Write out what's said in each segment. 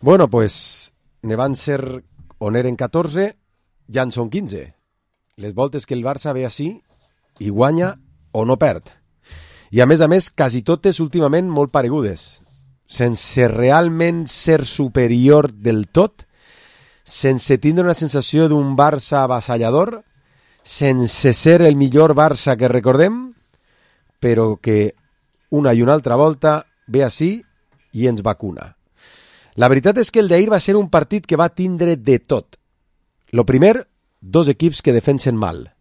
Bueno, pues ne van ser, on eren 14, ja en són 15. Les voltes que el Barça ve així i guanya o no perd. I a més, quasi totes últimament molt paregudes. Sense realment ser superior del tot, sense tindre una sensació d'un Barça avassallador, sense ser el millor Barça que recordem, però que una i una altra volta ve així i ens vacuna. La veritat és que el d'ahir va ser un partit que va tindre de tot. Lo primer, dos equips que defensen mal.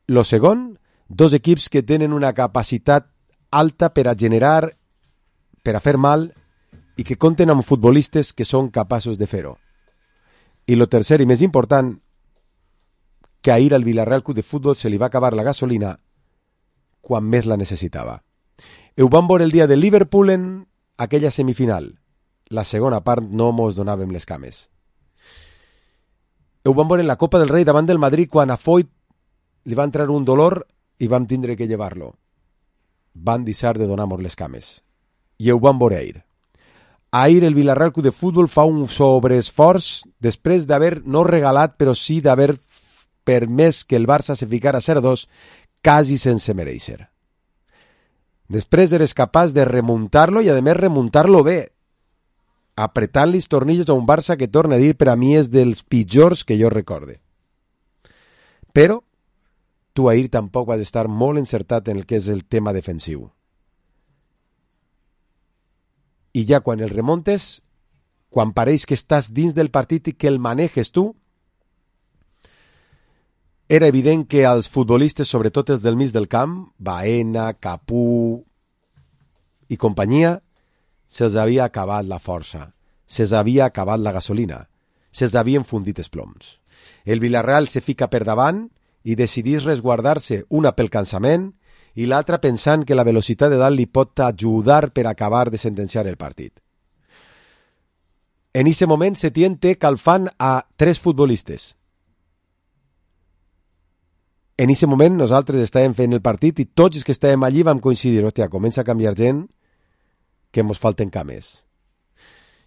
Lo segon, dos equips que tenen una capacitat alta per a generar, per a fer mal, i que compten amb futbolistes que són capaços de fer-ho. I lo tercer i més important, que ahir al Villarreal Club de Futbol se li va acabar la gasolina quan més la necessitava. Ho vam veure el dia de Liverpool en aquella semifinal. La segona part no mos donàvem les cames. Ho vam veure en la Copa del Rei davant del Madrid quan a Foyt li va entrar un dolor i vam tindre que llevar-lo. Van deixar de donar-nos les cames. I ho vam veure ahir. Ahir el Villarreal Club de Futbol fa un sobreesforç després d'haver no regalat, però sí d'haver permès que el Barça se ficara 0-2 quasi sense mereixer. Després eres capaç de remuntar-lo i a més remuntar-lo bé, apretant-li els tornillos a un Barça que, torna a dir, per a mi és dels pitjors que jo recorde. Però tu ahir tampoc vas estar molt encertat en el que és el tema defensiu. I ja quan el remontes, quan pareix que estàs dins del partit i que el manejes tu, era evident que als futbolistes, sobretot els del mig del camp, Baena, Capú i companyia, se'ls havia acabat la força, se'ls havia acabat la gasolina, se'ls havien fundit els ploms. El Villarreal se fica per davant i decidís resguardar-se, una pel cansament i l'altra pensant que la velocitat de dalt li pot ajudar per acabar de sentenciar el partit. En aquest moment Setién té calfant a 3 futbolistes. En aquest moment nosaltres estàvem fent el partit i tots els que estàvem allí vam coincidir, hòstia, comença a canviar gent que ens falten cames.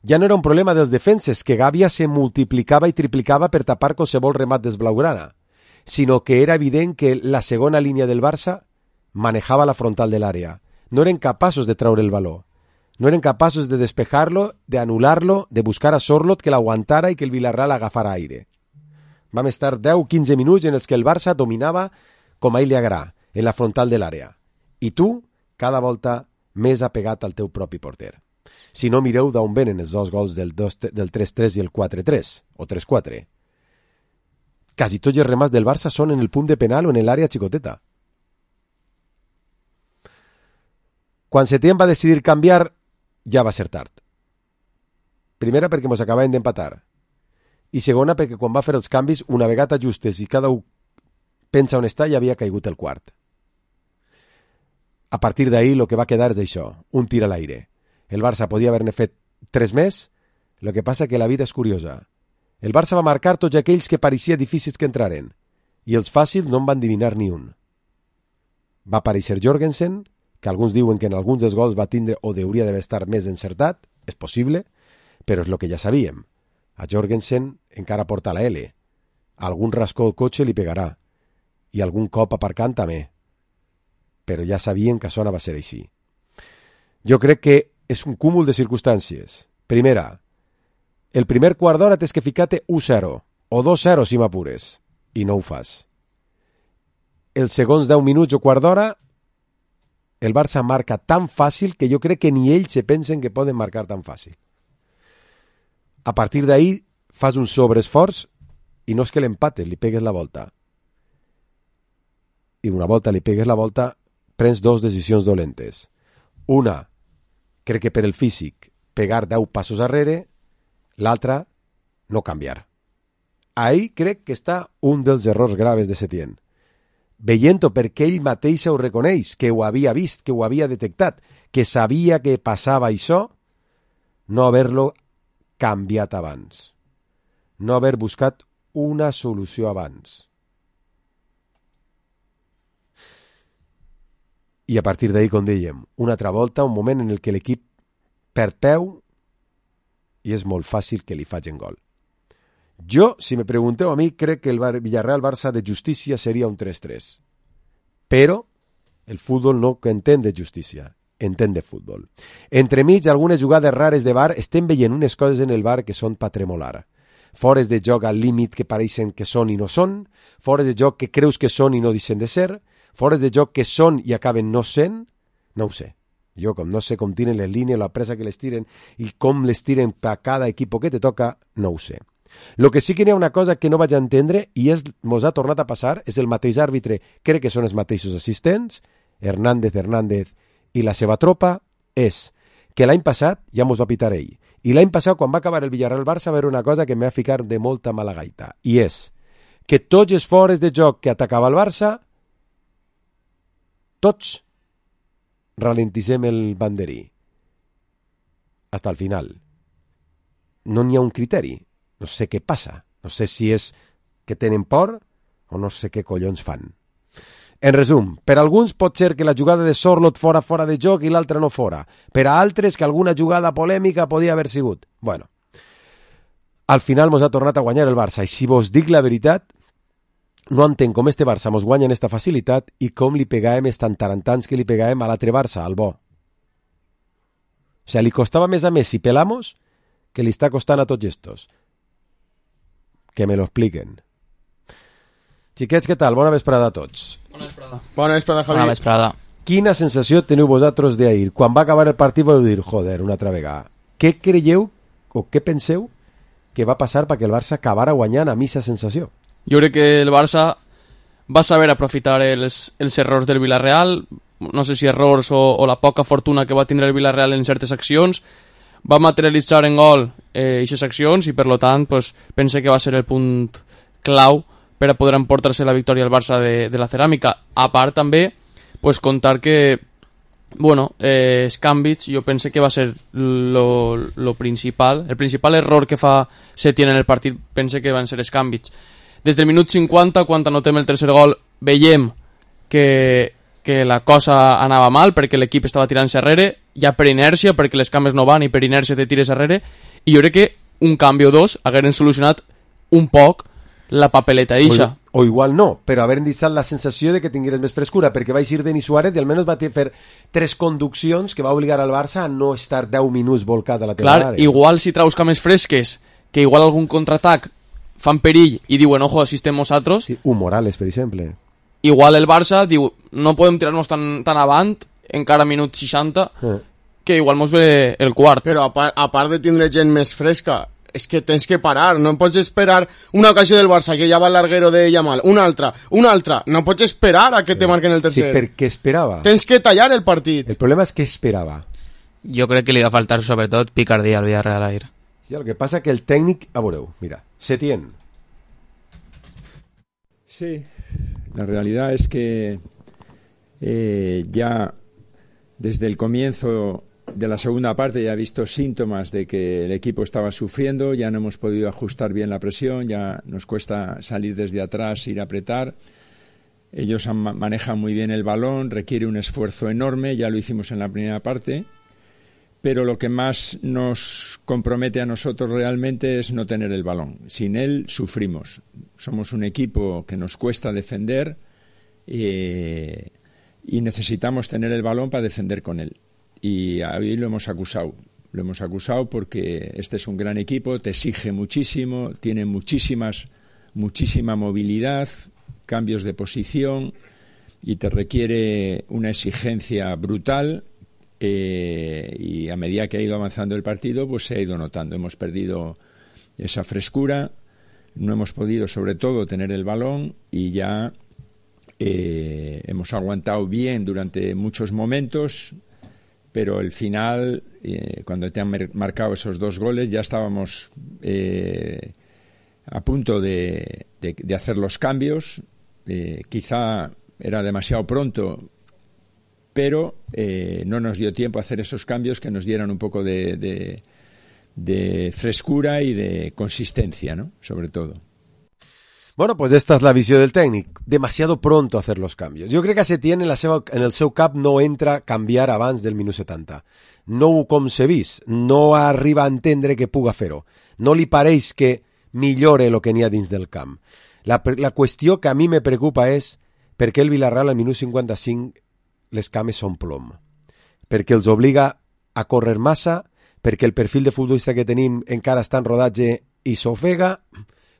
Ja no era un problema dels defenses, que Gàbia se multiplicava i triplicava per tapar qualsevol remat d'esblaugrana, sinó que era evident que la segona línia del Barça manejava la frontal de l'àrea. No eren capaços de treure el baló. No eren capaços de despejar-lo, d'anular-lo, de buscar a Sorlot que l'aguantara i que el Villarreal agafara aire. Vam estar 10-15 minuts en els que el Barça dominava com a ell li agrada, en la frontal de l'àrea. I tu, cada volta, més apegat al teu propi porter. Si no, mireu d'on venen els dos gols del 3-3 i el 4-3, o 3-4. Quasi tots els remats del Barça són en el punt de penal o en l'àrea xicoteta. Quan Setién va decidir canviar, ja va ser tard. Primera, perquè ens acabaven d'empatar. I segona, perquè quan va fer els canvis, una vegada justes i cada un pensa on està, ja havia caigut el quart. A partir d'ahir, el que va quedar és això, un tir a l'aire. El Barça podia haver-ne fet 3 més, el que passa que la vida és curiosa. El Barça va marcar tots aquells que pareixia difícils que entraren, i els fàcils no en van adivinar ni un. Va aparèixer Jorgensen, que alguns diuen que en alguns dels gols va tindre o hauria d'haver estat més encertat, és possible, però és el que ja sabíem. A Jorgensen encara porta la L. Algun rascó al cotxe li pegarà, i algun cop aparcant també. Però ja sabíem que això no va ser així. Jo crec que és un cúmul de circumstàncies. Primera, el primer quart d'hora tens que ficar-te 1-0, o 2-0 si m'apures, i no ho fas. Els segons 10 minuts o quart d'hora, el Barça marca tan fàcil que jo crec que ni ells se pensen que poden marcar tan fàcil. A partir d'ahir fas un sobreesforç i no és que l'empates, li pegues la volta. I una volta li pegues la volta, prens 2 decisions dolentes. Una, crec que per el físic, pegar 10 passos arrere, l'altra, no canviar. Ahí crec que està un dels errors graves de Setién. Veient-ho perquè ell mateix ho reconeix, que ho havia vist, que ho havia detectat, que sabia que passava això, no haver-lo canviat abans. No haver buscat una solució abans. I a partir d'ahir, com dèiem, una altra volta, un moment en el que l'equip perd peu i és molt fàcil que li facin gol. Jo, si me pregunteu a mi, crec que el Villarreal-Barça de justícia seria un 3-3. Però el futbol no entén de justícia, entén de futbol. Entremig, algunes jugades rares de VAR, estem veient unes coses en el VAR que són pa tremolar. Fores de joc al límit que pareixen que són i no són, fores de joc que creus que són i no deixen de ser, fores de joc que són i acaben no sent, no ho sé. Jo, com no sé com tiren les línies, la pressa que les tiren i com les tiren per cada equip que te toca, no ho sé. Lo que sí que hi ha una cosa que no vaig entendre i mos ha tornat a passar, és el mateix àrbitre, crec que són els mateixos assistents, Hernández i la seva tropa, és que l'any passat ja mos va pitar ell. I l'any passat, quan va acabar el Villarreal-Barça, va haver una cosa que m'ha ficat de molta mala gaita, i és que tots els fores de joc que atacava el Barça, tots ralentissem el banderí. Hasta el final. No n'hi ha un criteri. No sé què passa. No sé si és que tenen por o no sé què collons fan. En resum, per alguns pot ser que la jugada de Sorloth fora de joc i l'altra no fora. Per a altres que alguna jugada polèmica podia haver sigut. Bueno, al final mos ha tornat a guanyar el Barça i si vos dic la veritat, no entenc com este Barça mos guanya en esta facilitat i com li pegàvem estan tarantants que li pegàvem a l'altre Barça, al bo. O sigui, li costava més a Messi pelamos que li està costant a tots estos. Que me lo expliquen. Xiquets, què tal? Bona vesprada a tots. Bona vesprada. Bona vesprada, Javi. Bona vesprada. Quina sensació teniu vosaltres d'ahir? Quan va acabar el partit vau dir, joder, una altra vegada. Què creieu o què penseu que va passar perquè el Barça acabara guanyant amb aquesta sensació? Jo crec que el Barça va saber aprofitar els errors del Villarreal, no sé si errors o la poca fortuna que va tindre el Villarreal en certes accions, va materialitzar en gol aquestes accions i per lo tant pues, pense que va ser el punt clau per a poder emportar-se la victòria al Barça de la Ceràmica. A part també pues, contar que bueno, els canvis jo pense que va ser lo principal, el principal error que fa Setién en el partit pense que van ser els canvis. Des del minut 50, quan anotem el tercer gol, veiem que la cosa anava mal perquè l'equip estava tirant-se arrere, ja per inèrcia, perquè les cames no van i per inèrcia te tires arrere, i jo crec que un canvi o dos hagueren solucionat un poc la papeleta eixa. O igual no, però haver deixat la sensació de que tingueres més frescura, perquè va eixir Denis Suárez i almenys va fer 3 conduccions que va obligar al Barça a no estar 10 minuts volcat a la teva àrea. Igual si traus cames fresques, que igual algun contraatac fan perill i diuen, ojo, si estem nosaltres... Sí, un Morales, per exemple. Igual el Barça diu, no podem tirar-nos tan avant, encara minut 60, que igual mos ve el quart. Però a part de tindre gent més fresca, és que tens que parar, no pots esperar una ocasió del Barça, que ja va al larguero de Yamal, una altra, no pots esperar a que te marquen el tercer. Sí, perquè esperava. Tens que tallar el partit. El problema és que esperava. Jo crec que li va faltar sobretot picardia al Villarreal ahir. Sí, el que passa que el tècnic, a veureu, mira, Setién. Sí, la realidad es que ya desde el comienzo de la segunda parte ya he visto síntomas de que el equipo estaba sufriendo, ya no hemos podido ajustar bien la presión, ya nos cuesta salir desde atrás, ir a apretar. Ellos manejan muy bien el balón, requiere un esfuerzo enorme, ya lo hicimos en la primera parte, pero lo que más nos compromete a nosotros realmente es no tener el balón. Sin él sufrimos. Somos un equipo que nos cuesta defender y necesitamos tener el balón para defender con él. Y ahí lo hemos acusado. Lo hemos acusado porque este es un gran equipo, te exige muchísimo, tiene muchísima movilidad, cambios de posición y te requiere una exigencia brutal. Y a medida que ha ido avanzando el partido, pues se ha ido notando. Hemos perdido esa frescura, no hemos podido sobre todo tener el balón y ya hemos aguantado bien durante muchos momentos, pero el final, cuando te han marcado esos 2 goles, ya estábamos a punto de hacer los cambios. Quizá era demasiado pronto, pero no nos dio tiempo a hacer esos cambios que nos dieran un poco de frescura y de consistencia, ¿no? Sobre todo. Bueno, pues esta és la visió del tècnic. Demasiado pronto hacer los cambios. Jo crec que Setién en el seu cap no entra canviar abans del minut 70. No ho concebís, no arriba a entendre que puga fer-ho. No li pareix que millore el que n'hi ha dins del camp. La qüestió que a mi me preocupa és per què el Villarreal al minut 55 les cames són plom. Perquè els obliga a córrer massa, perquè el perfil de futbolista que tenim encara està en rodatge i s'ofega,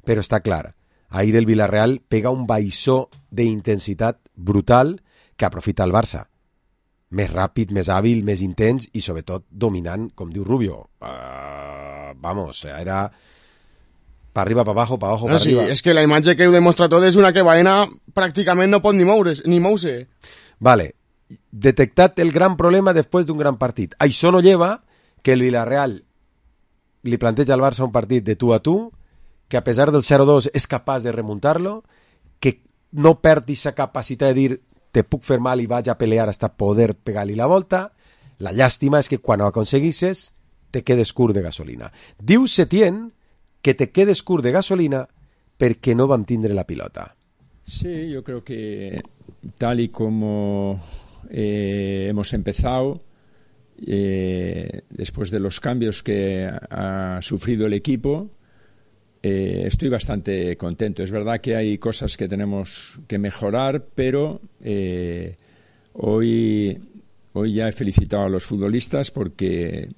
però està clar. Ahir el Villarreal pega un baixó d'intensitat brutal que aprofita el Barça. Més ràpid, més hàbil, més intens i sobretot dominant, com diu Rubio. Vamos, era pa arriba, pa abajo, pa abajo, pa Sí, arriba. és que la imatge que ho demostra tot és una que Baena pràcticament no pot ni moure-se. Vale, detectat el gran problema després d'un gran partit. Això no lleva que el Villarreal li planteja al Barça un partit de tu a tu, que a pesar del 0-2 és capaç de remuntar-lo, que no perdi sa capacitat de dir te puc fer mal i vaig a pelear hasta poder pegar-li la volta. La llàstima és que quan ho aconseguisses te quedes curt de gasolina. Diu Setién que te quedes curt de gasolina perquè no vam tindre la pilota. Sí, yo creo que tal y como hemos empezado, después de los cambios que ha sufrido el equipo, estoy bastante contento. Es verdad que hay cosas que tenemos que mejorar, pero hoy ya he felicitado a los futbolistas porque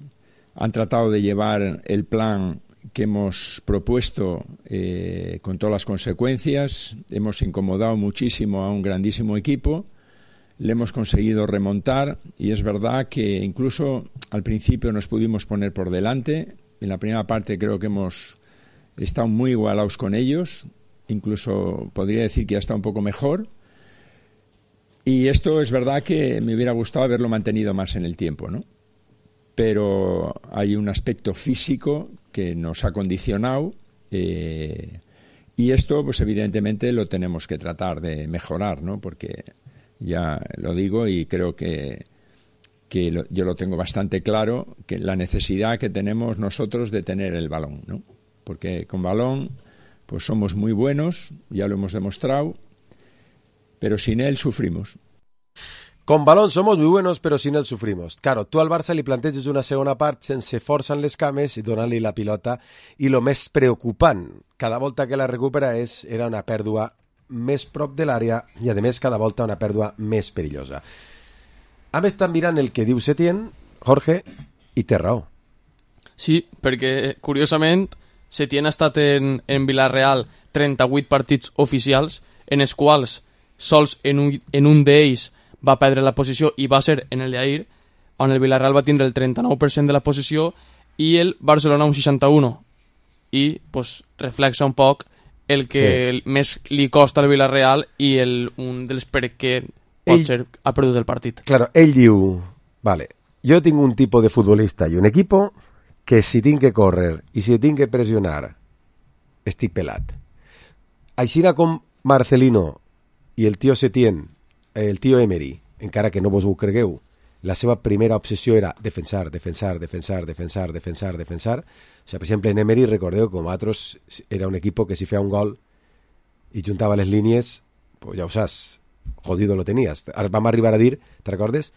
han tratado de llevar el plan que hemos propuesto con todas las consecuencias. Hemos incomodado muchísimo a un grandísimo equipo, le hemos conseguido remontar y es verdad que incluso al principio nos pudimos poner por delante. En la primera parte creo que hemos estado muy igualados con ellos, incluso podría decir que ya está un poco mejor. Y esto es verdad que me hubiera gustado haberlo mantenido más en el tiempo, ¿no? Pero hay un aspecto físico que nos ha condicionado y esto pues evidentemente lo tenemos que tratar de mejorar, ¿no? Porque ya lo digo y creo que yo lo tengo bastante claro, que la necesidad que tenemos nosotros de tener el balón, ¿no? Porque con balón pues somos muy buenos, ya lo hemos demostrado, pero sin él sufrimos. Con balón somos muy buenos, pero sin él sufrimos. Claro, tu al Barça li planteges una segona part sense força en les cames i donant-li la pilota. I el més preocupant, cada volta que la recupera era una pèrdua més prop de l'àrea i, a més, cada volta una pèrdua més perillosa. Hem estat mirant el que diu Setién, Jorge, i té raó. Sí, perquè, curiosament, Setién ha estat en Villarreal 38 partits oficials, en els quals sols en un d'ells va perdre la posició i va ser en el d'ahir, on el Villarreal va tindre el 39% de la posició i el Barcelona un 61%. I pues, reflexa un poc el que més li costa al Villarreal i un dels per què potser ha perdut el partit. Claro, ell diu, vale, jo tinc un tipus de futbolista i un equipo que si tinc que córrer i si tinc que pressionar estic pelat. Així com Marcelino i el tio Setién, el tio Emery, encara que no vos ho cregueu, la seva primera obsessió era defensar. O sigui, per exemple, en Emery, recordeu que com altres era un equip que si feia un gol i juntava les línies, pues ja ho saps, jodido lo tenías. Vam arribar a dir, te recordes,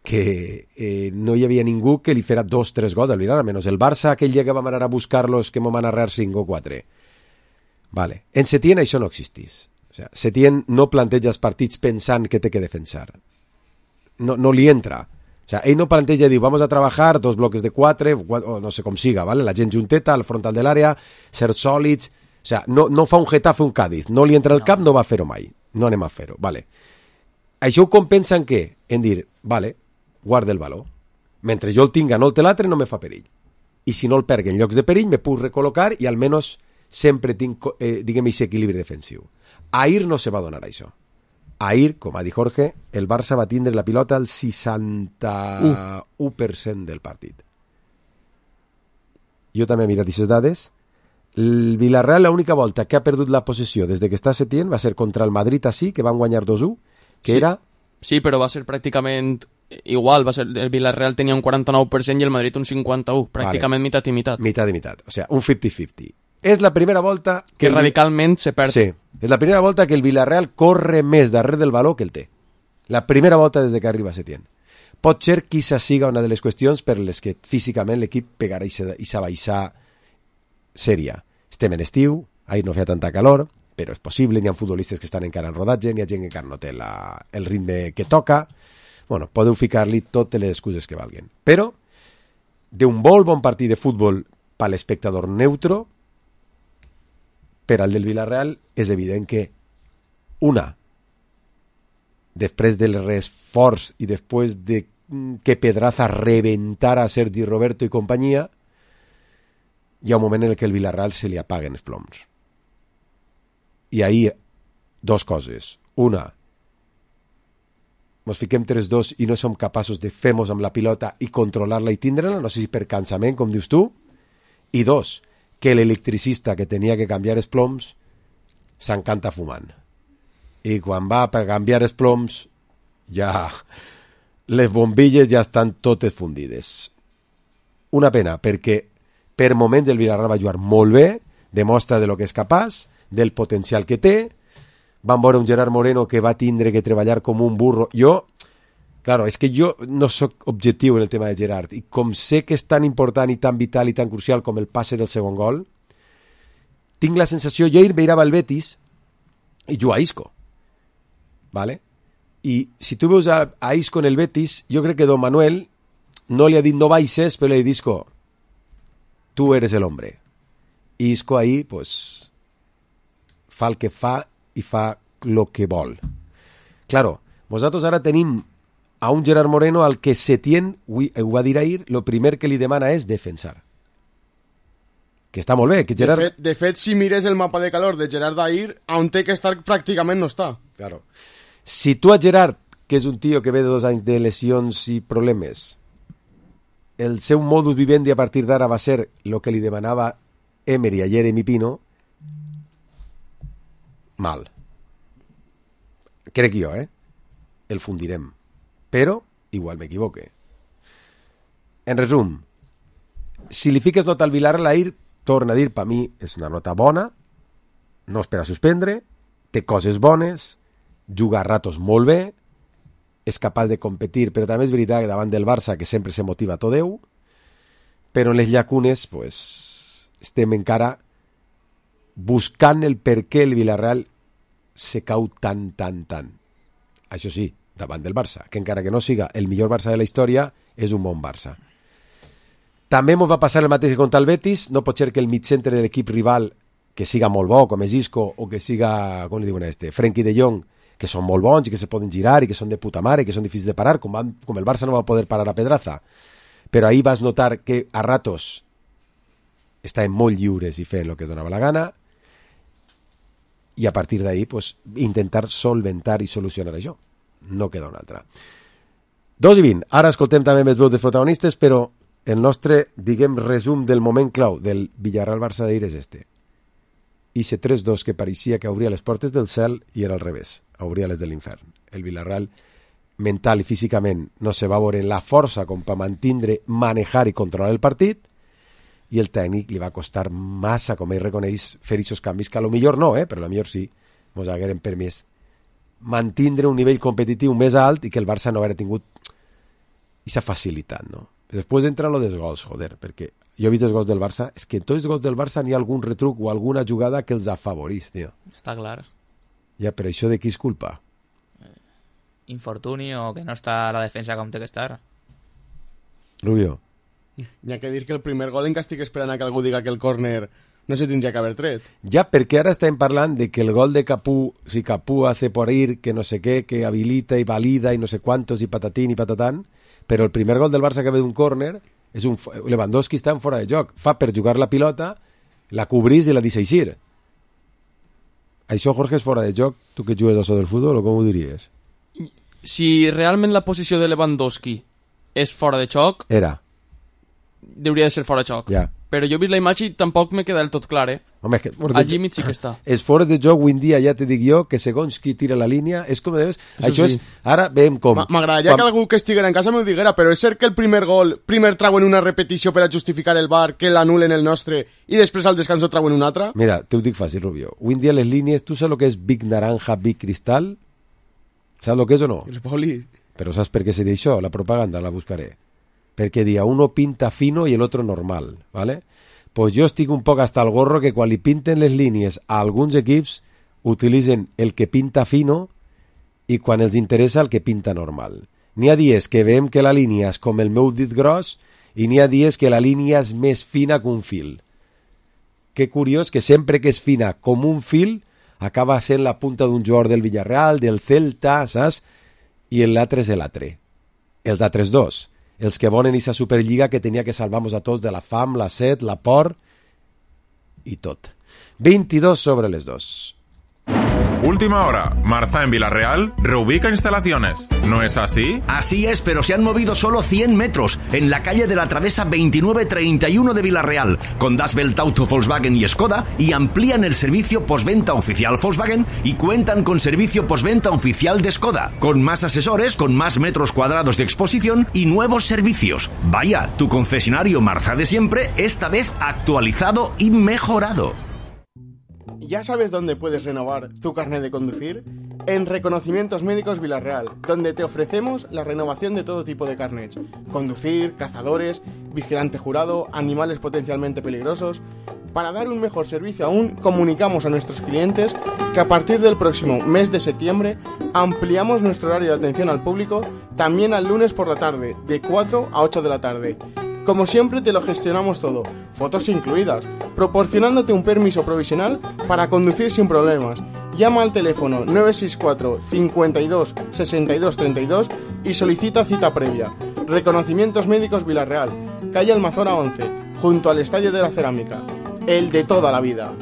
que no hi havia ningú que li fera 2-3 gols al Villarreal, menys el Barça aquell dia que vam anar a buscar-los que m'ho van arrear 5 o 4. Vale. En Setién això no existís. O sea, Setién no planteja els partits pensant que té que defensar. No li entra. O sea, ell no planteja i diu, vamos a trabajar 2 bloques de 4, o no sé com siga, ¿vale? La gent junteta al frontal de l'àrea, ser sòlids. O sea, no fa un Getafe, un Cádiz. No li entra al cap, no va a fer-ho mai. No anem a fer-ho, vale. Això ho compensa en què? En dir, vale, guarda el valor. Mentre jo el tinga, no el té l'altre, no me fa perill. I si no el perc en llocs de perill, me puc recol·locar i almenys sempre tinc, diguem, aquest equilibri defensiu. Ahir no se va donar això. Ahir, com ha dit Jorge, el Barça va tindre la pilota al 61% del partit. Jo també he mirat aquestes dades. El Villarreal, l'única volta que ha perdut la possessió des que està Setién va ser contra el Madrid així, que van guanyar 2-1, que era... Sí, però va ser pràcticament igual. El Villarreal tenia un 49% i el Madrid un 51%. Pràcticament mitat i mitat. Mitat i mitat. O sigui, un 50-50. És la primera volta que radicalment se perd. Sí, és la primera volta que el Villarreal corre més darrere del baló que el té. La primera volta des que arriba Setién. Pot ser que això siga una de les qüestions per les que físicament l'equip pegarà i s'abaixar sèria. Estem en estiu, ahir no feia tanta calor, però és possible, n'hi ha futbolistes que estan encara en rodatge, n'hi ha gent que encara no té el ritme que toca. Bueno, podeu ficar-li totes les excuses que valguen. Però, d'un molt bon partit de futbol per l'espectador neutro, per al del Villarreal és evident que després del reesforç i després de que Pedraza reventara a Sergi Roberto i companyia, hi ha un moment en què el Villarreal se li apaguen els ploms. I ahir, dos coses. Una, ens fiquem 3-2 i no som capaços de fer-nos amb la pilota i controlar-la i tindre-la, no sé si per cansament, com dius tu. I dos, que l'electricista que tenia que canviar els ploms s'encanta fumant. I quan va per canviar els ploms, ja les bombilles ja estan totes fundides. Una pena, perquè per moments el Villarreal va jugar molt bé, demostra de lo que és capaç, del potencial que té. Vam veure un Gerard Moreno que va tindre que treballar com un burro. Claro, és que jo no sóc objectiu en el tema de Gerard, i com sé que és tan important i tan vital i tan crucial com el passe del segon gol, tinc la sensació, jo ahir veirava el Betis i juga a Isco, ¿vale? I si tu veus a Isco en el Betis, jo crec que Don Manuel no li ha dit no baixes, però li ha dit Isco, tu eres el hombre. I Isco ahí, pues, fa el que fa i fa el que vol. Claro, nosaltres ara tenim a un Gerard Moreno al que Setién, ho va dir ahir, el primer que li demana és defensar. Que està molt bé. Que Gerard... de fet, si mires el mapa de calor de Gerard d'ahir, on té que estar pràcticament no està. Claro. Si tu a Gerard, que és un tio que ve de 2 anys de lesions i problemes, el seu modus vivendi a partir d'ara va ser el que li demanava Emery a Jeremy Pino, mal. Crec jo, el fundirem. Però igual m'equivoque. En resum, si li fiques nota al Villarreal ahir, torna a dir, per mi és una nota bona, no és per a suspendre, té coses bones, juga a ratos molt bé, és capaç de competir, però també és veritat que davant del Barça, que sempre se motiva tot Déu, però en les llacunes pues, estem encara buscant el per què el Villarreal se cau tant. Això sí, davant del Barça, que encara que no siga el millor Barça de la història, és un bon Barça. També ens va passar el mateix que contra el Betis, no pot ser que el migcentre de l'equip rival, que siga molt bo, com és Isco, o que siga, com li diuen Frenkie de Jong, que són molt bons i que se poden girar i que són de puta mare i que són difícils de parar, com el Barça no va poder parar a Pedraza. Però ahir vas notar que a ratos estaven molt lliures i fent el que es donava la gana, i a partir d'ahir pues, intentar solventar i solucionar això. No queda una altra. 2:20. Ara escoltem també més veus dels protagonistes, però el nostre, diguem, resum del moment clau del Villarreal-Barça d'ahir és este. Ixe 3-2 que pareixia que obria les portes del cel i era al revés, obria les de l'infern. El Villarreal, mental i físicament, no se va veure la força com per mantindre, manejar i controlar el partit, i el tècnic li va costar massa, com ell reconeix, fer aquests canvis, que a lo millor no, però a lo millor sí, mos hagueren permès mantindre un nivell competitiu més alt i que el Barça no haguera tingut aquesta facilitat, no? Després entra lo dels gols, joder, perquè jo he vist els gols del Barça, és que en tots els gols del Barça n'hi ha algun retruc o alguna jugada que els afavorís, tio. Està clar. Ja, però això de qui és culpa? Infortuni o que no està a la defensa com té que estar. Rubio. N'hi ha que dir que el primer gol encara estic esperant a que algú diga que el córner no se tindria que haver tret. Ja, perquè ara estem parlant de que el gol de Capú, si Capú hace por ir, que no sé què, que habilita i valida i no sé quantos, i patatín i patatán, però el primer gol del Barça que ve d'un córner és un Lewandowski està en fora de joc, fa per jugar la pilota, la cobrís i la deixa eixir. Això, Jorge, és fora de joc? Tu que jugues a això del futbol, o com ho diries? Si realment la posició de Lewandowski és fora de xoc, Era. hauria de ser fora de xoc. Ja. Però jo he vist la imatge i tampoc me queda del tot clar, Home, és que Al límit sí que està. Els fores de joc avui en dia, ja te dic jo, que segons qui tira la línia, és com deus... Això sí. és... Ara veiem com... M'agradaria que algú que estiguera en casa m'ho diguera, però és cert que el primer gol, primer trauen una repetició per a justificar el VAR, que l'anulen el nostre, i després al descanso trauen un altre? Mira, te ho dic fàcil, Rubio. Avui en dia les línies, tu saps el que és Big Naranja, Big Cristal? Saps el que és o no? El poli. Però saps per què se diu això? La propaganda la buscaré. Perquè dia uno pinta fino i el otro normal, ¿vale? Pues jo estic un poc hasta el gorro que quan li pinten les línies a alguns equips utilitzen el que pinta fino i quan els interessa el que pinta normal. N'hi ha dies que veiem que la línia és com el meu dit gros i n'hi ha dies que la línia és més fina que un fil. Que curiós que sempre que és fina com un fil acaba sent la punta d'un jugador del Villarreal, del Celta, saps? I l'altre és l'altre. Els altres dos. Els que volen aquesta Superliga que tenia que salvar-nos a tots de la fam, la set, la por i tot. 22 sobre les 2. Última hora. Marza en Villarreal reubica instalaciones. ¿No es así? Así es, pero se han movido solo 100 metros en la calle de la Travesa 2931 de Villarreal, con Das Welt Auto Volkswagen y Skoda, y amplían el servicio postventa oficial Volkswagen y cuentan con servicio postventa oficial de Skoda, con más asesores, con más metros cuadrados de exposición y nuevos servicios. Vaya, tu concesionario Marza de siempre, esta vez actualizado y mejorado. ¿Ya sabes dónde puedes renovar tu carnet de conducir? En Reconocimientos Médicos Villarreal, donde te ofrecemos la renovación de todo tipo de carnets. Conducir, cazadores, vigilante jurado, animales potencialmente peligrosos. Para dar un mejor servicio aún, comunicamos a nuestros clientes que a partir del próximo mes de septiembre ampliamos nuestro horario de atención al público también al lunes por la tarde, de 4 a 8 de la tarde. Como siempre te lo gestionamos todo, fotos incluidas, proporcionándote un permiso provisional para conducir sin problemas. Llama al teléfono 964 52 62 32 y solicita cita previa. Reconocimientos Médicos Villarreal, calle Almazora 11, junto al Estadio de la Cerámica. El de toda la vida.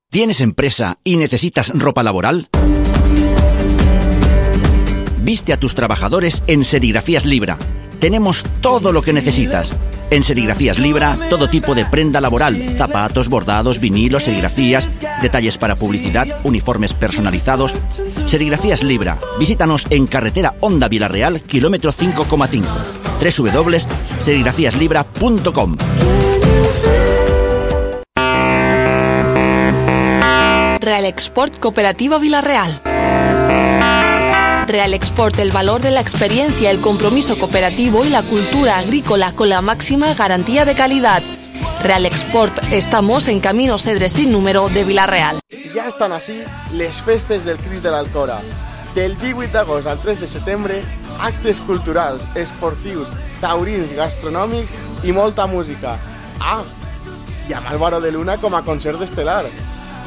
¿Tienes empresa y necesitas ropa laboral? Viste a tus trabajadores en Serigrafías Libra. Tenemos todo lo que necesitas. En Serigrafías Libra, todo tipo de prenda laboral, zapatos, bordados, vinilos, serigrafías, detalles para publicidad, uniformes personalizados. Serigrafías Libra. Visítanos en carretera Honda Villarreal, kilómetro 5,5. www.serigrafíaslibra.com. Real Export Cooperativa Villarreal. Real Export, el valor de la experiencia, el compromiso cooperativo y la cultura agrícola con la máxima garantía de calidad. Real Export, estamos en Camino Cedre sin número de Villarreal. Ja estan així les festes del Crist de l'Alcora. Del 18 d'agost al 3 de setembre, actes culturals, esportius, taurins, gastronòmics i molta música. Ah, i amb Álvaro de Luna com a concert estel·lar.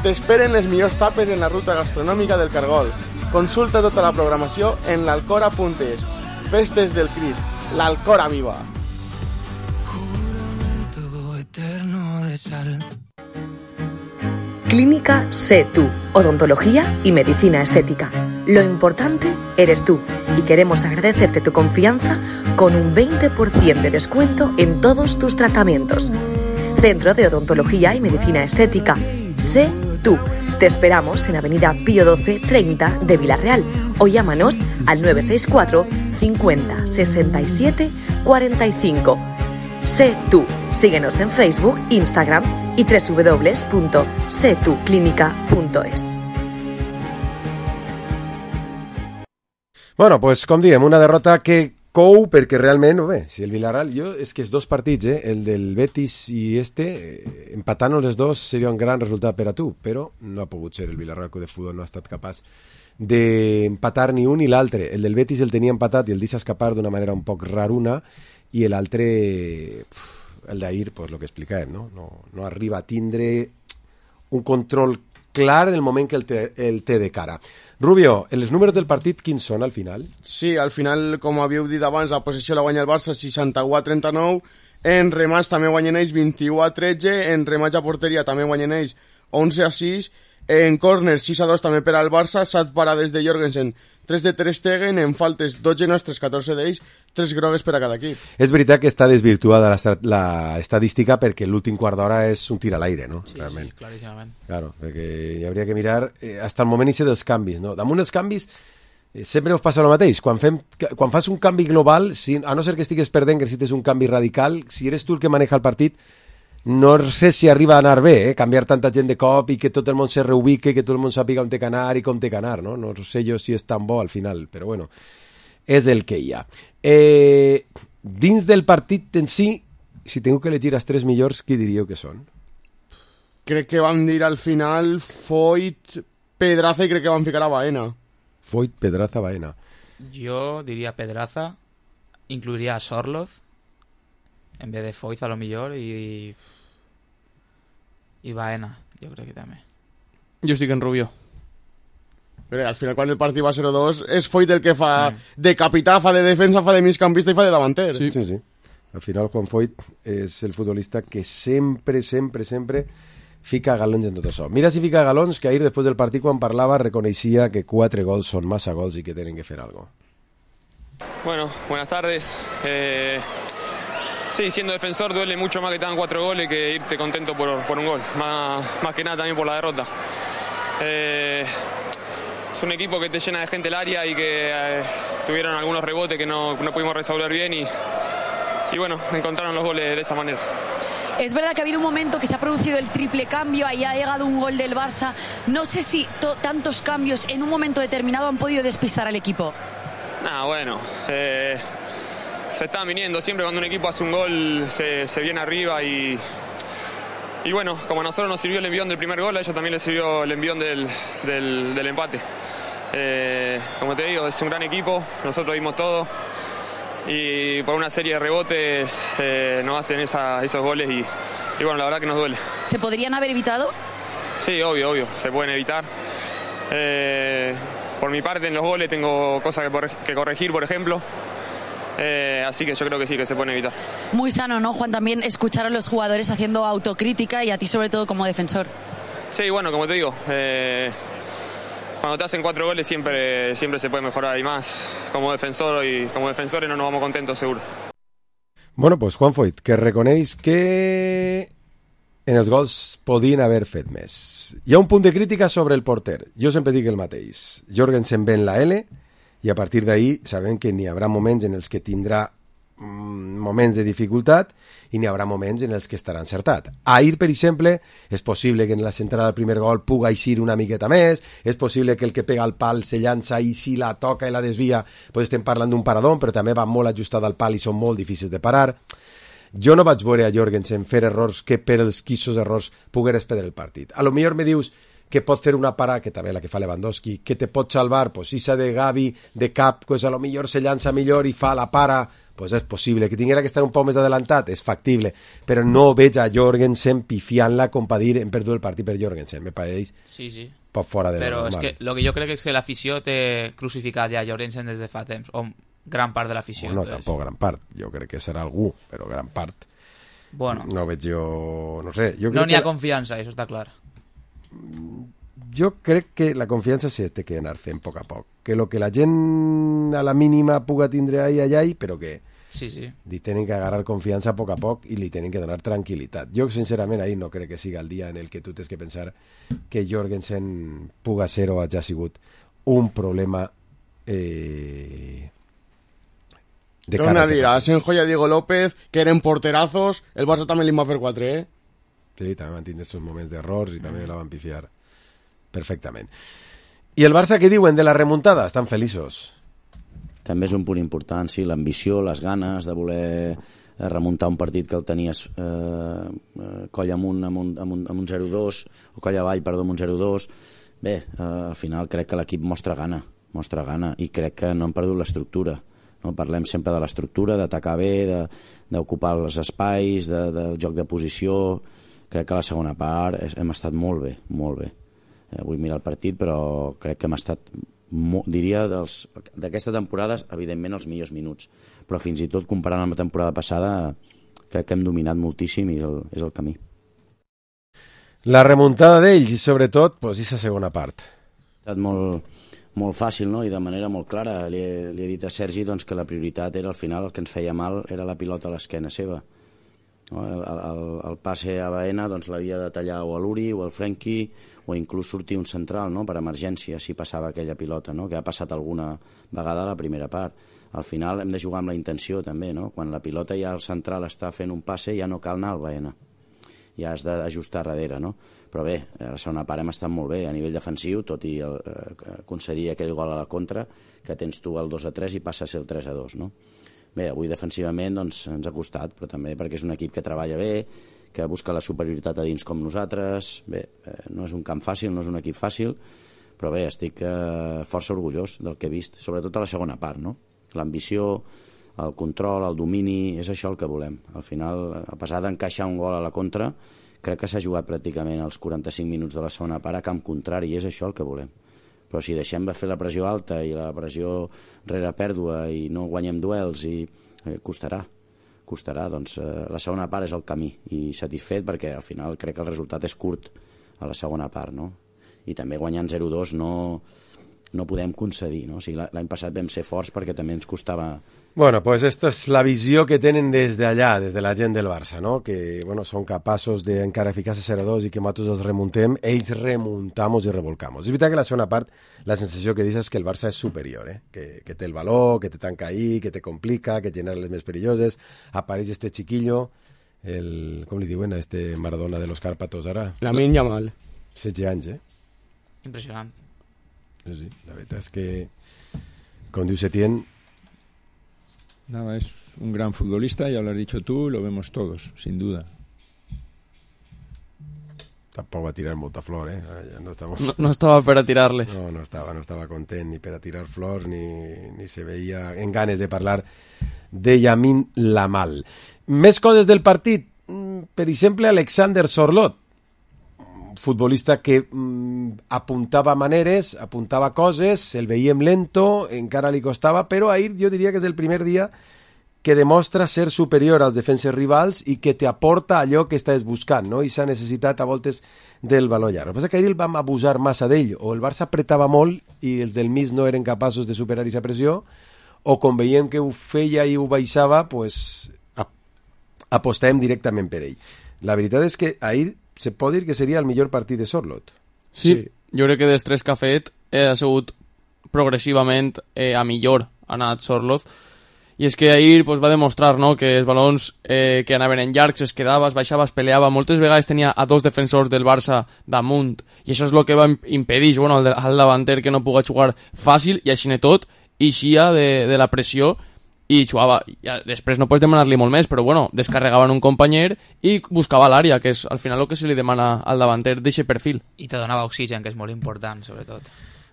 T'esperen les millors tapes en la ruta gastronòmica del Cargol. Consulta tota la programació en l'alcora.es. Festes del Crist, l'Alcora viva. Clínica Sé Tú, odontología y medicina estética. Lo importante eres tú y queremos agradecerte tu confianza con un 20% de descuento en todos tus tratamientos. Centro de Odontología y Medicina Estética, Sé Tú. Te esperamos en Avenida Pío 12 30 de Villarreal o llámanos al 964 50 67 45. Sé Tú. Síguenos en Facebook, Instagram y www.setuclinica.es. Bueno, pues com diem, una derrota que cou perquè realment, bé, si el Villarreal, és que els dos partits, el del Betis i empatant-nos els dos seria un gran resultat per a tu, però no ha pogut ser. El Villarreal de futbol no ha estat capaç d'empatar ni un ni l'altre. El del Betis el tenia empatat i el deixa escapar d'una manera un poc raruna, i l'altre, el d'ahir, pues, el que explicàvem, no arriba a tindre un control clar en el moment que el té de cara. Rubio, els números del partit quins són al final? Sí, al final, com havíeu dit abans, la possessió la guanya el Barça 61-39, en remats també guanyen ells 21-13, en remats a porteria també guanyen ells 11-6, en córner 6-2 també per al Barça, 7 parades de Jorgensen, 3 de Ter Stegen, en faltes 12 nostres, 14 d'ells, 3 grogues per a cada equip. És veritat que està desvirtuada la estadística perquè l'últim quart d'hora és un tir a l'aire, no? Sí, realment. Sí, claríssimament. Claro, perquè hi hauria que mirar hasta el moment dels canvis, no? Damunt dels canvis sempre us passa el mateix. Quan fas un canvi global, a no ser que estigues perdent, que necessites un canvi radical, si eres tu el que maneja el partit, no sé si arriba a anar bé, canviar tanta gent de cop i que tot el món se reubique, que tot el món sàpiga on té que anar i com té que anar, no? No sé jo si és tan bo al final, però bueno, és el que hi ha. Dins del partit en si, si tinc que elegir els 3 millors, qui diríeu que són? Crec que van dir al final Foyt, Pedraza i crec que van ficar a Baena. Foyt, Pedraza, Baena. Yo diría Pedraza, incluiría a Sorloz en vez de Foyt a lo mejor y Baena, yo creo que también. Jo estic en Rubió. Però al final, quan el partit va 0-2, és Foyt el que fa de capità, fa de defensa, fa de migcampista i fa de davanter. Sí. Al final, Juan Foyt és el futbolista que sempre fica galons en tot això. Mira si fica galons, que ahir, després del partit, quan parlava, reconeixia que 4 gols són massa gols i que tenen que fer algo. Bueno, buenas tardes. Sí, siendo defensor duele mucho más que te dan 4 goles que irte contento por un gol. Más que nada también por la derrota. Es un equipo que te llena de gente el área y que tuvieron algunos rebotes que no pudimos resolver bien y bueno, encontraron los goles de esa manera. Es verdad que ha habido un momento que se ha producido el triple cambio, ahí ha llegado un gol del Barça. No sé si tantos cambios en un momento determinado han podido despistar al equipo. Bueno, se están viniendo. Siempre cuando un equipo hace un gol se viene arriba y bueno, como a nosotros nos sirvió el envión del primer gol, a ellos también les sirvió el envión del empate. Como te digo, es un gran equipo, nosotros vimos todo y por una serie de rebotes nos hacen esos goles y bueno, la verdad que nos duele. ¿Se podrían haber evitado? Sí, obvio, se pueden evitar. Por mi parte en los goles tengo cosas que corregir, por ejemplo. Así que yo creo que sí, que se pueden evitar. Muy sano, ¿no, Juan? También escuchar a los jugadores haciendo autocrítica y a ti sobre todo como defensor. Sí, bueno, como te digo, cuando te hacen 4 goles siempre se puede mejorar y más como defensor y como defensores no nos vamos contentos seguro. Bueno, pues Juan Foyt, que reconeix que en els gols podien haver fet més. Hi ha un punt de crítica sobre el porter. Jo sempre dic el mateix. Jorgensen ve en la L i a partir d'ahí sabem que n'hi haurà moments en els que tindrà moments de dificultat i n'hi haurà moments en els que estarà encertat. Ahir, per exemple, és possible que en la centrada del primer gol puga eixir una miqueta més, és possible que el que pega al pal se llança i si la toca i la desvia, pues estem parlant d'un paradón, però també va molt ajustat al pal i són molt difícils de parar. Jo no vaig veure a Jorgensen fer errors que per els quissos errors pogueres perdre el partit. A lo millor me dius que pot fer una parada, que també la que fa Lewandowski, que te pot salvar, pues esa de Gavi, de cap, pues a lo millor se llança millor i fa la para, pues és possible. Que tinguera que estar un poc més adelantat, és factible, però no veig a Jorgensen pifiant-la com per dir hem perdut el partit per Jorgensen, me pareix poc fora de però normal. És que lo que jo crec és que l'afició té crucificat ja Jorgensen des de fa temps, o gran part de l'afició. No, tampoc gran part, jo crec que serà algú, però gran part no veig jo, no sé. No n'hi ha confiança, això està clar. Jo crec que la confiança se té que anar fent a poc a poc, que lo que la gent a la mínima puga tindre allà, però que li tenen que agarrar confiança a poc i li tenen que donar tranquil·litat. Jo sincerament ahir no crec que siga el dia en el que tu tens que pensar que Jorgensen puga ser o hagi sigut un problema de cara. Torna a dir, a Asenjo i a Diego López, que eren porterazos, el Barça també li va fer 4, Sí, també van tindre aquests moments d'errors i també la van pifiar perfectament. I el Barça, què diuen de la remuntada? Estan feliços. També és un punt important, sí, l'ambició, les ganes de voler remuntar un partit que el tenies coll amunt amb un 0-2, o coll avall, perdó, amb un 0-2. Bé, al final crec que l'equip mostra gana, i crec que no han perdut l'estructura. No? Parlem sempre de l'estructura, d'atacar bé, d'ocupar els espais, del joc de posició. Crec que a la segona part hem estat molt bé. Vull mirar el partit, però crec que hem estat, diria, d'aquesta temporada, evidentment, els millors minuts. Però fins i tot, comparant amb la temporada passada, crec que hem dominat moltíssim i és el camí. La remuntada d'ells i, sobretot, aquesta segona part. Ha estat molt molt fàcil, no? I de manera molt clara. Li he dit a Sergi doncs, que la prioritat era, al final, el que ens feia mal era la pilota a l'esquena seva. No? El passe a Baena doncs, l'havia de tallar o a l'Uri o al Frenkie, o inclús sortir un central, no? Per emergència, si passava aquella pilota, no? Que ha passat alguna vegada a la primera part. Al final hem de jugar amb la intenció també, no? Quan la pilota ja el central està fent un passe ja no cal anar al Baena, ja has d'ajustar darrere, no? Però bé, a la segona part hem estat molt bé a nivell defensiu, tot i concedir aquell gol a la contra, que tens tu el 2-3 i passa a ser el 3-2, no? Bé, avui defensivament doncs, ens ha costat, però també perquè és un equip que treballa bé, que busca la superioritat a dins com nosaltres. Bé, no és un camp fàcil, no és un equip fàcil, però bé, estic força orgullós del que he vist, sobretot a la segona part, no? L'ambició, el control, el domini, és això el que volem. Al final, a pesar d'encaixar un gol a la contra, crec que s'ha jugat pràcticament els 45 minuts de la segona part a camp contrari, i és això el que volem. Però si deixem de fer la pressió alta i la pressió rere pèrdua i no guanyem duels, costarà. Doncs la segona part és el camí, i satisfet perquè al final crec que el resultat és curt a la segona part, no? I també guanyant 0-2 no podem concedir, no? O sigui, l'any passat vam ser forts perquè també ens costava... Bueno, pues esta és la visió que tenen des d'allà, des de la gent del Barça, no? Que, bueno, són capaços de encara ficar-se 0-2 i que nosaltres els remuntem, ells remuntamos i revolcamos. És veritat que la segona part, la sensació que dius és que el Barça és superior, que té el valor, que te tanca ahí, que te complica, que genera les més perilloses, apareix este chiquillo, com li diuen a este Maradona de los Cárpatos ara? Lamine Yamal. 16 anys, Impressionant. Sí, la veritat és que, com diu Setién... Nada, es un gran futbolista, ya lo has dicho tú, lo vemos todos, sin duda. Tampoc va tirar molta flor, No estava per a tirar-les. No estava content ni per a tirar flors, ni se veia en ganes de parlar de Lamine Yamal. Més coses del partit. Per exemple, Alexander Sorloth, futbolista que apuntava maneres, apuntava coses, el veiem lento, encara li costava, però ahir jo diria que és el primer dia que demostra ser superior als defenses rivals i que te aporta allò que estàs buscant, no? I s'ha necessitat a voltes del valor llarg. El que passa que ahir el vam abusar massa d'ell, o el Barça apretava molt i els del mig no eren capaços de superar aquesta pressió, o com veiem que ho feia i ho baixava, pues, apostàvem directament per ell. La veritat és que ahir se pot dir que seria el millor partit de Sorloth. Sí, jo crec que dels tres que ha fet ha sigut progressivament a millor ha anat Sorloth, i és que ahir va demostrar, no, que els balons que anaven en llargs es quedava, es baixava, es peleava, moltes vegades tenia a dos defensors del Barça damunt, i això és el que va impedir al davanter que no pugui jugar fàcil, i així tot eixia de la pressió i jugava. Ja, després no pots demanar-li molt més, però bueno, descarregaven un companyer i buscava l'àrea, que és al final el que se li demana al davanter d'eixe perfil. I te donava oxigen, que és molt important, sobretot.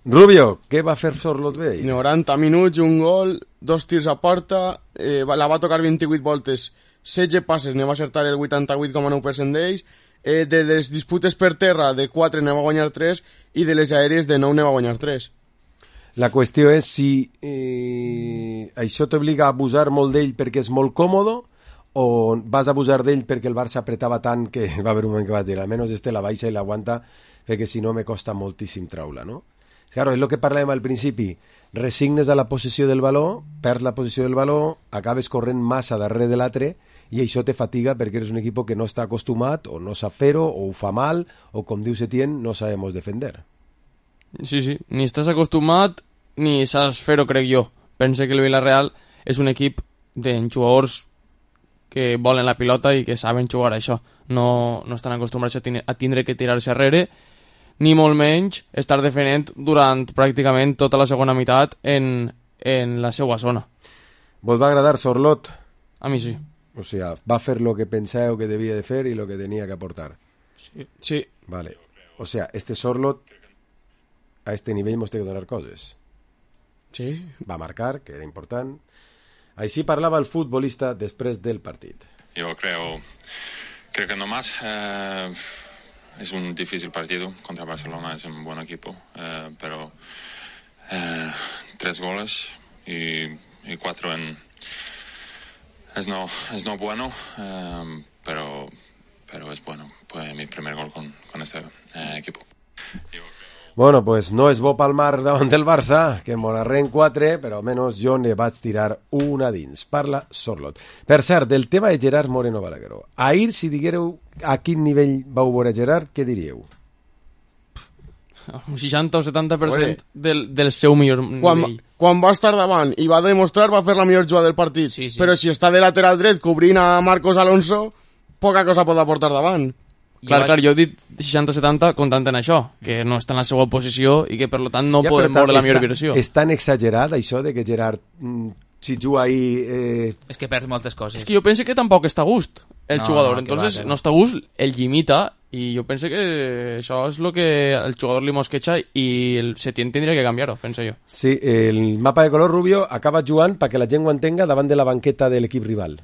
Rubio, què va fer Sorloth bé? 90 minuts, un gol, 2 tirs a porta, la va tocar 28 voltes, 16 passes, ne va acertar el 88,9% d'ells, de les disputes per terra, de 4 ne va guanyar 3, i de les aèries de 9 ne va guanyar 3. La qüestió és si això t'obliga a abusar molt d'ell perquè és molt còmode, o vas abusar d'ell perquè el Barça apretava tant que va haver un moment que vas dir, almenys la baixa i l'aguanta, perquè si no me costa moltíssim traure, no? Claro, és el que parlàvem al principi, resignes a la possessió del valor, perds la possessió del valor, acabes corrent massa darrere de l'altre i això te fatiga perquè eres un equip que no està acostumat o no sap fer-ho, o ho fa mal, o com diu Setién, no sabemos defender. Sí, ni estàs acostumat ni saps fer-ho, crec jo. Pense que el Villarreal és un equip de jugadors que volen la pilota i que saben jugar a això. No estan acostumats a tindre que tirar-se arrere, ni molt menys estar defendent durant pràcticament tota la segona meitat en la seva zona. Vos va agradar Sorloth? A mi sí. O sea, va fer lo que penseu que devia de fer i lo que tenia que aportar. Sí. Vale. O sea, este Sorloth a este nivell mos té que donar coses. Sí. Va marcar, que era important. Així parlava el futbolista després del partit. Yo creo que no más. Es un difícil partido contra Barcelona, es un buen equipo, pero 3 goles y 4 es no bueno, pero es bueno. Fue mi primer gol con este equipo. Bueno, pues no és bo palmar davant del Barça, que m'onarren 4, però almenys jo ne vaig tirar una dins. Parla Sorlot. Per cert, del tema de Gerard Moreno Balagueró. Ahir, si diguéreu a quin nivell vau veure Gerard, què diríeu? Un 60 o 70% del seu millor nivell. Quan va estar davant i va demostrar, va fer la millor jugada del partit. Sí. Però si està de lateral dret cobrint a Marcos Alonso, poca cosa pot aportar davant. Clar, jo he dit 60-70 comptant en això, que no està en la seva posició i que per tant no podem veure la millor versió. És tan exagerat això de que Gerard, si juga ahí... És que perd moltes coses. És que jo penso que tampoc està a gust el jugador, entonces no està a gust, el limita i jo penso que això és el que el jugador li mosqueja i el Setién tindria que canviar-ho, penso jo. Sí, el mapa de color rubio acaba jugant perquè la gent ho entenga davant de la banqueta de l'equip rival.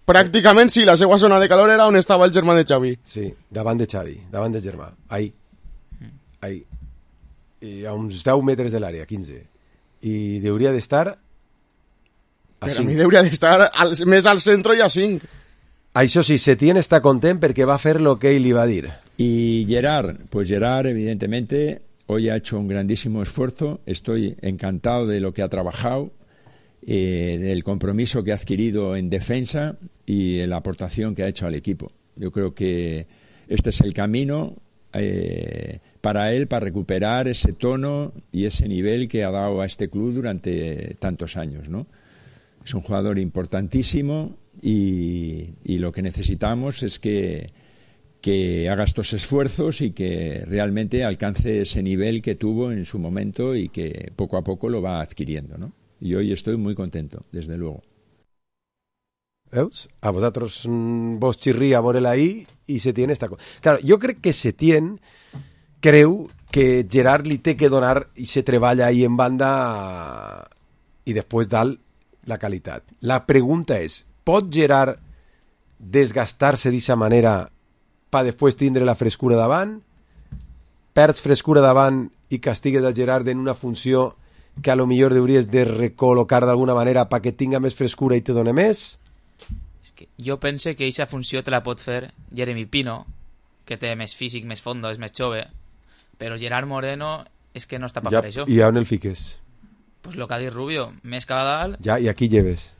Pràcticament sí, la seva zona de calor era on estava el germà de Xavi. Sí, davant de Xavi, davant del germà. Ahí. I a uns 10 metres de l'àrea, 15. I hauria d'estar a 5. Per a mi hauria d'estar més al centre i a 5. Això sí, Setién está contento porque va a hacer lo que él iba a decir. Y Gerard, pues Gerard evidentemente hoy ha hecho un grandísimo esfuerzo, estoy encantado de lo que ha trabajado, del compromiso que ha adquirido en defensa y de la aportación que ha hecho al equipo. Yo creo que este es el camino para él, para recuperar ese tono y ese nivel que ha dado a este club durante tantos años, ¿no? Es un jugador importantísimo y lo que necesitamos es que haga estos esfuerzos y que realmente alcance ese nivel que tuvo en su momento y que poco a poco lo va adquiriendo, ¿no? Y hoy estoy muy contento, desde luego. ¿Veus? A vosaltres vos xirria veure-la ahí i Setién està... Claro, jo crec que Setién creu que Gerard li té que donar i se treballa ahí en banda i després dalt la qualitat. La pregunta és, pot Gerard desgastar-se d'aquesta manera per després tindre la frescura davant? Perds frescura davant i castigues a Gerard en una funció que a lo millor hauries de recol·locar d'alguna manera perquè tinga més frescura i te doni més? És que jo pense que aquesta funció te la pot fer Jeremy Pino, que té més físic, més fondo, és més jove, però Gerard Moreno és que no està per això. I on el fiques? Pues lo que ha dit Rubio, més cap a dalt... Ja, i aquí lleves.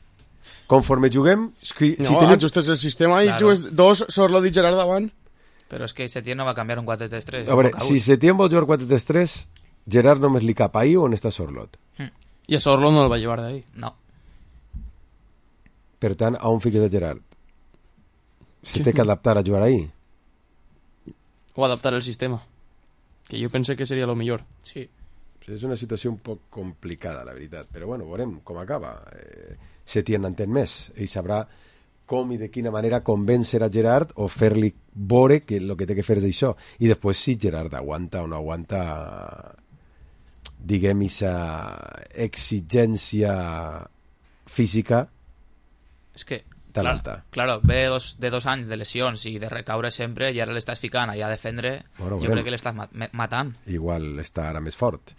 Conforme juguem... ajustes el sistema i jugues 2 Sorlot i Gerard davant. Però és que Setién no va canviar un 4-3-3. A veure, si Setién vol jugar 4-3-3, Gerard només li cap ahí on està Sorlot. I a Sorlot no el va llevar d'ahí. No. Per tant, a on fiques a Gerard? Se té que adaptar a jugar ahí? O adaptar el sistema. Que jo pense que seria lo millor. Sí. És una situació un poc complicada, la veritat. Però bueno, veurem com acaba. Setién entén més. Ell sabrà com i de quina manera convèncer a Gerard o fer-li veure que el que té que fer és això. I després si Gerard aguanta o no aguanta, diguem, aquesta exigència física tan alta. Claro, ve de 2 anys de lesions i de recaure sempre i ara l'estàs ficant allà a defendre. Bueno, jo crec que l'estàs matant. Igual està ara més fort.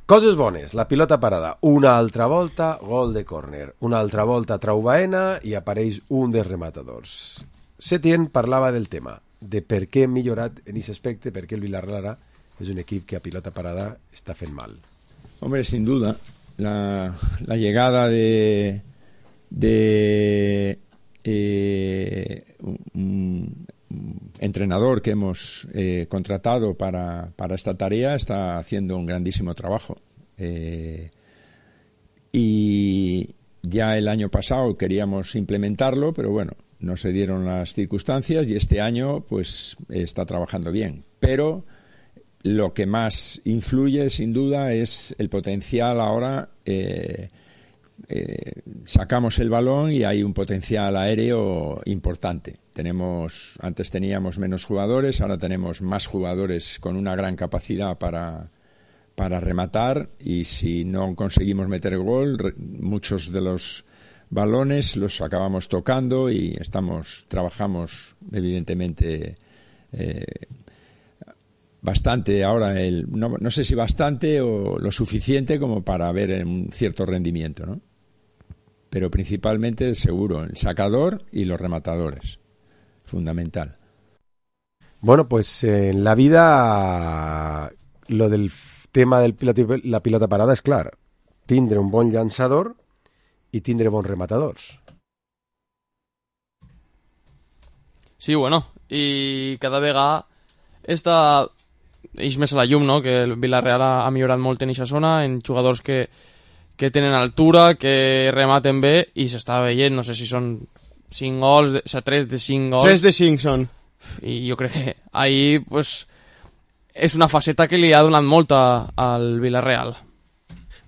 Coses bones, la pilota parada, una altra volta, gol de córner, una altra volta trau Baena i apareix un dels rematadors. Setién parlava del tema, de per què hem millorat en aquest aspecte, per què el Villarreal ara és un equip que a pilota parada està fent mal. Hombre, sin duda, la llegada de un entrenador que hemos contratado para esta tarea está haciendo un grandísimo trabajo. Y ya el año pasado queríamos implementarlo, pero bueno, no se dieron las circunstancias y este año pues está trabajando bien. Pero lo que más influye, sin duda, es el potencial ahora. Sacamos el balón y hay un potencial aéreo importante. Antes teníamos menos jugadores, ahora tenemos más jugadores con una gran capacidad para rematar, y si no conseguimos meter el gol, muchos de los balones los acabamos tocando y trabajamos evidentemente bastante ahora, no sé si bastante o lo suficiente como para ver un cierto rendimiento, ¿no? Pero principalmente, seguro, el sacador y los rematadores. Fundamental. Bueno, pues en la vida lo del tema de la pilota parada és clar. Tindre un bon llançador i tindre bons rematadors. Sí, bueno, i cada vegada eix més a la llum, no? Que el Villarreal ha millorat molt en aquesta zona, en jugadors que tenen altura, que rematen bé, i s'està veient, no sé si són 5 gols, 3 de 5 gols. 3 de 5 són. I jo crec que ahir pues, és una faceta que li ha donat molt al Villarreal.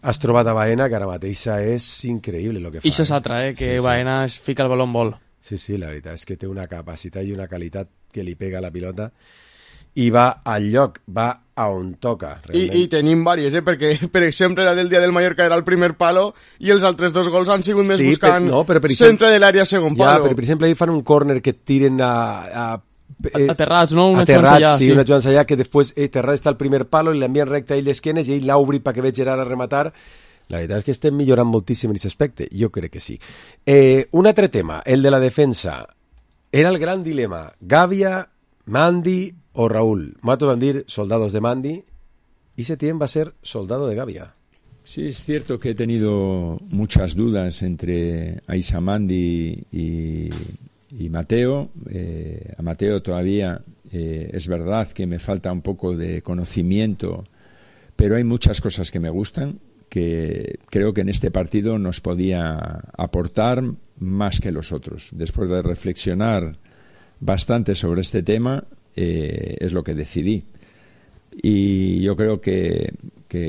Has trobat a Baena, que ara mateix és increïble el que fa. I això és altra, que sí, Baena es fica el baló en vol. Sí, la veritat és que té una capacitat i una qualitat que li pega a la pilota i va al lloc, va a on toca. I tenim vàries, perquè per exemple la del dia del Mallorca era el primer palo i els altres 2 gols han sigut més buscant centre de l'àrea segon palo. Però per exemple ahir fan un córner que tiren aterrats, no? Aterrats, sí, una Joan Sayà que després Terrat està al primer palo i l'envien recte a ell d'esquenes i ell l'ha obrit perquè veig Gerard a rematar. La veritat és que estem millorant moltíssim en aquest aspecte. Jo crec que sí. Un altre tema, el de la defensa. Era el gran dilema. Gavia, Mandi o Raúl. Nosaltres vam dir soldados de Mandi y Setién va a ser soldado de Gavia. Sí, es cierto que he tenido muchas dudas entre Aissa Mandi y Mateo. A Mateo todavía es verdad que me falta un poco de conocimiento, pero hay muchas cosas que me gustan, que creo que en este partido nos podía aportar más que los otros. Después de reflexionar bastante sobre este tema, es lo que decidí. Y yo creo que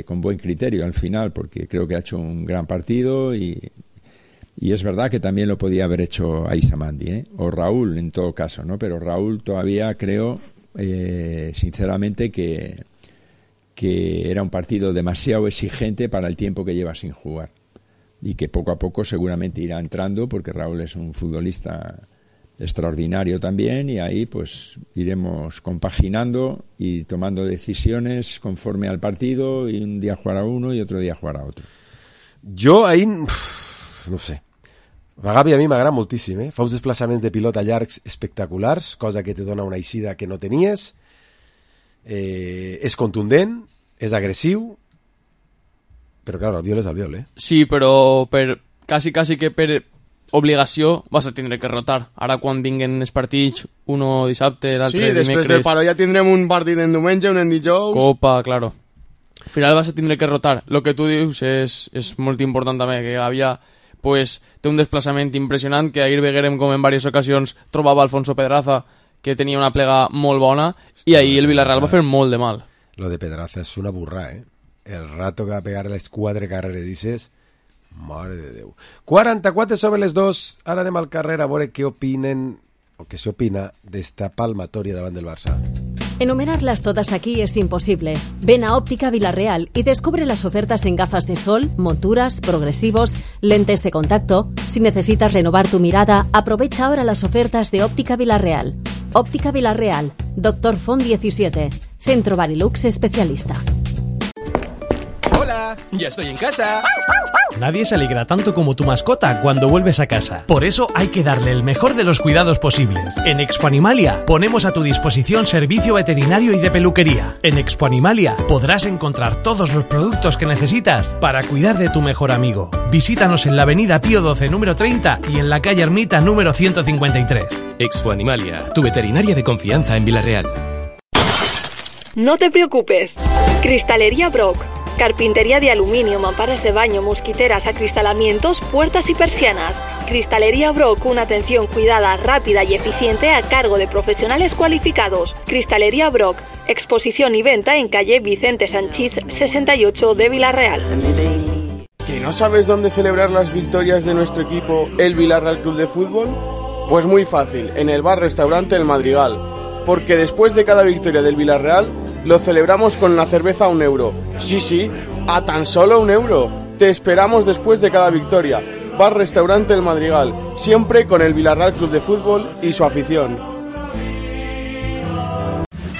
con buen criterio al final, porque creo que ha hecho un gran partido y es verdad que también lo podía haber hecho Aissa Mandi, o Raúl en todo caso, ¿no? Pero Raúl todavía creo, sinceramente, que era un partido demasiado exigente para el tiempo que lleva sin jugar y que poco a poco seguramente irá entrando, porque Raúl es un futbolista extraordinario también, y ahí pues iremos compaginando y tomando decisiones conforme al partido, y un día jugar a uno y otro día jugar a otro. Jo ahir, no sé, a Gavi a mi m'agrada moltíssim, fa uns desplaçaments de pilota llargs espectaculars, cosa que te dona una eixida que no tenies, és contundent, és agressiu, però clar, el viol és el viol, Sí, però quasi que per obligació vas a tindre que rotar. Ara quan vinguen els partits, uno dissabte, l'altre dimecres... Sí, després del paro ja tindrem un partit en diumenge, un en dijous... Copa, claro. Al final vas a tindre que rotar. Lo que tu dius és molt important també, que Gavia pues, té un desplaçament impressionant, que ahir veguérem com en diverses ocasions trobava Alfonso Pedraza, que tenia una plega molt bona, i ahir el Villarreal va fer molt de mal. Lo de Pedraza és una burra, El rato que va pegar les 4 carreredices, mare de Déu. 44 sobre les 2, ara anem al carrer a veure què opinen, o què s'opina d'esta palmatòria davant del Barça. Enumerarlas todas aquí es imposible. Ven a Óptica Villarreal y descubre las ofertas en gafas de sol, monturas, progresivos, lentes de contacto. Si necesitas renovar tu mirada, aprovecha ahora las ofertas de Óptica Villarreal. Óptica Villarreal, Dr. Font 17, Centro Barilux Especialista. Hola, ya estoy en casa. Nadie se alegra tanto como tu mascota cuando vuelves a casa. Por eso hay que darle el mejor de los cuidados posibles. En Expo Animalia ponemos a tu disposición servicio veterinario y de peluquería. En Expo Animalia podrás encontrar todos los productos que necesitas para cuidar de tu mejor amigo. Visítanos en la avenida Pío XII número 30 y en la calle Ermita número 153. Expo Animalia, tu veterinaria de confianza en Villarreal. No te preocupes. Cristalería Brock. Carpintería de aluminio, mamparas de baño, mosquiteras, acristalamientos, puertas y persianas. Cristalería Brock, una atención cuidada, rápida y eficiente a cargo de profesionales cualificados. Cristalería Brock, exposición y venta en calle Vicente Sanchís 68 de Villarreal. ¿Que no sabes dónde celebrar las victorias de nuestro equipo, el Villarreal Club de Fútbol? Pues muy fácil, en el bar-restaurante El Madrigal. Porque después de cada victoria del Villarreal, lo celebramos con la cerveza a €1. Sí, a tan solo €1. Te esperamos después de cada victoria. Bar-restaurante El Madrigal, siempre con el Villarreal Club de Fútbol y su afición.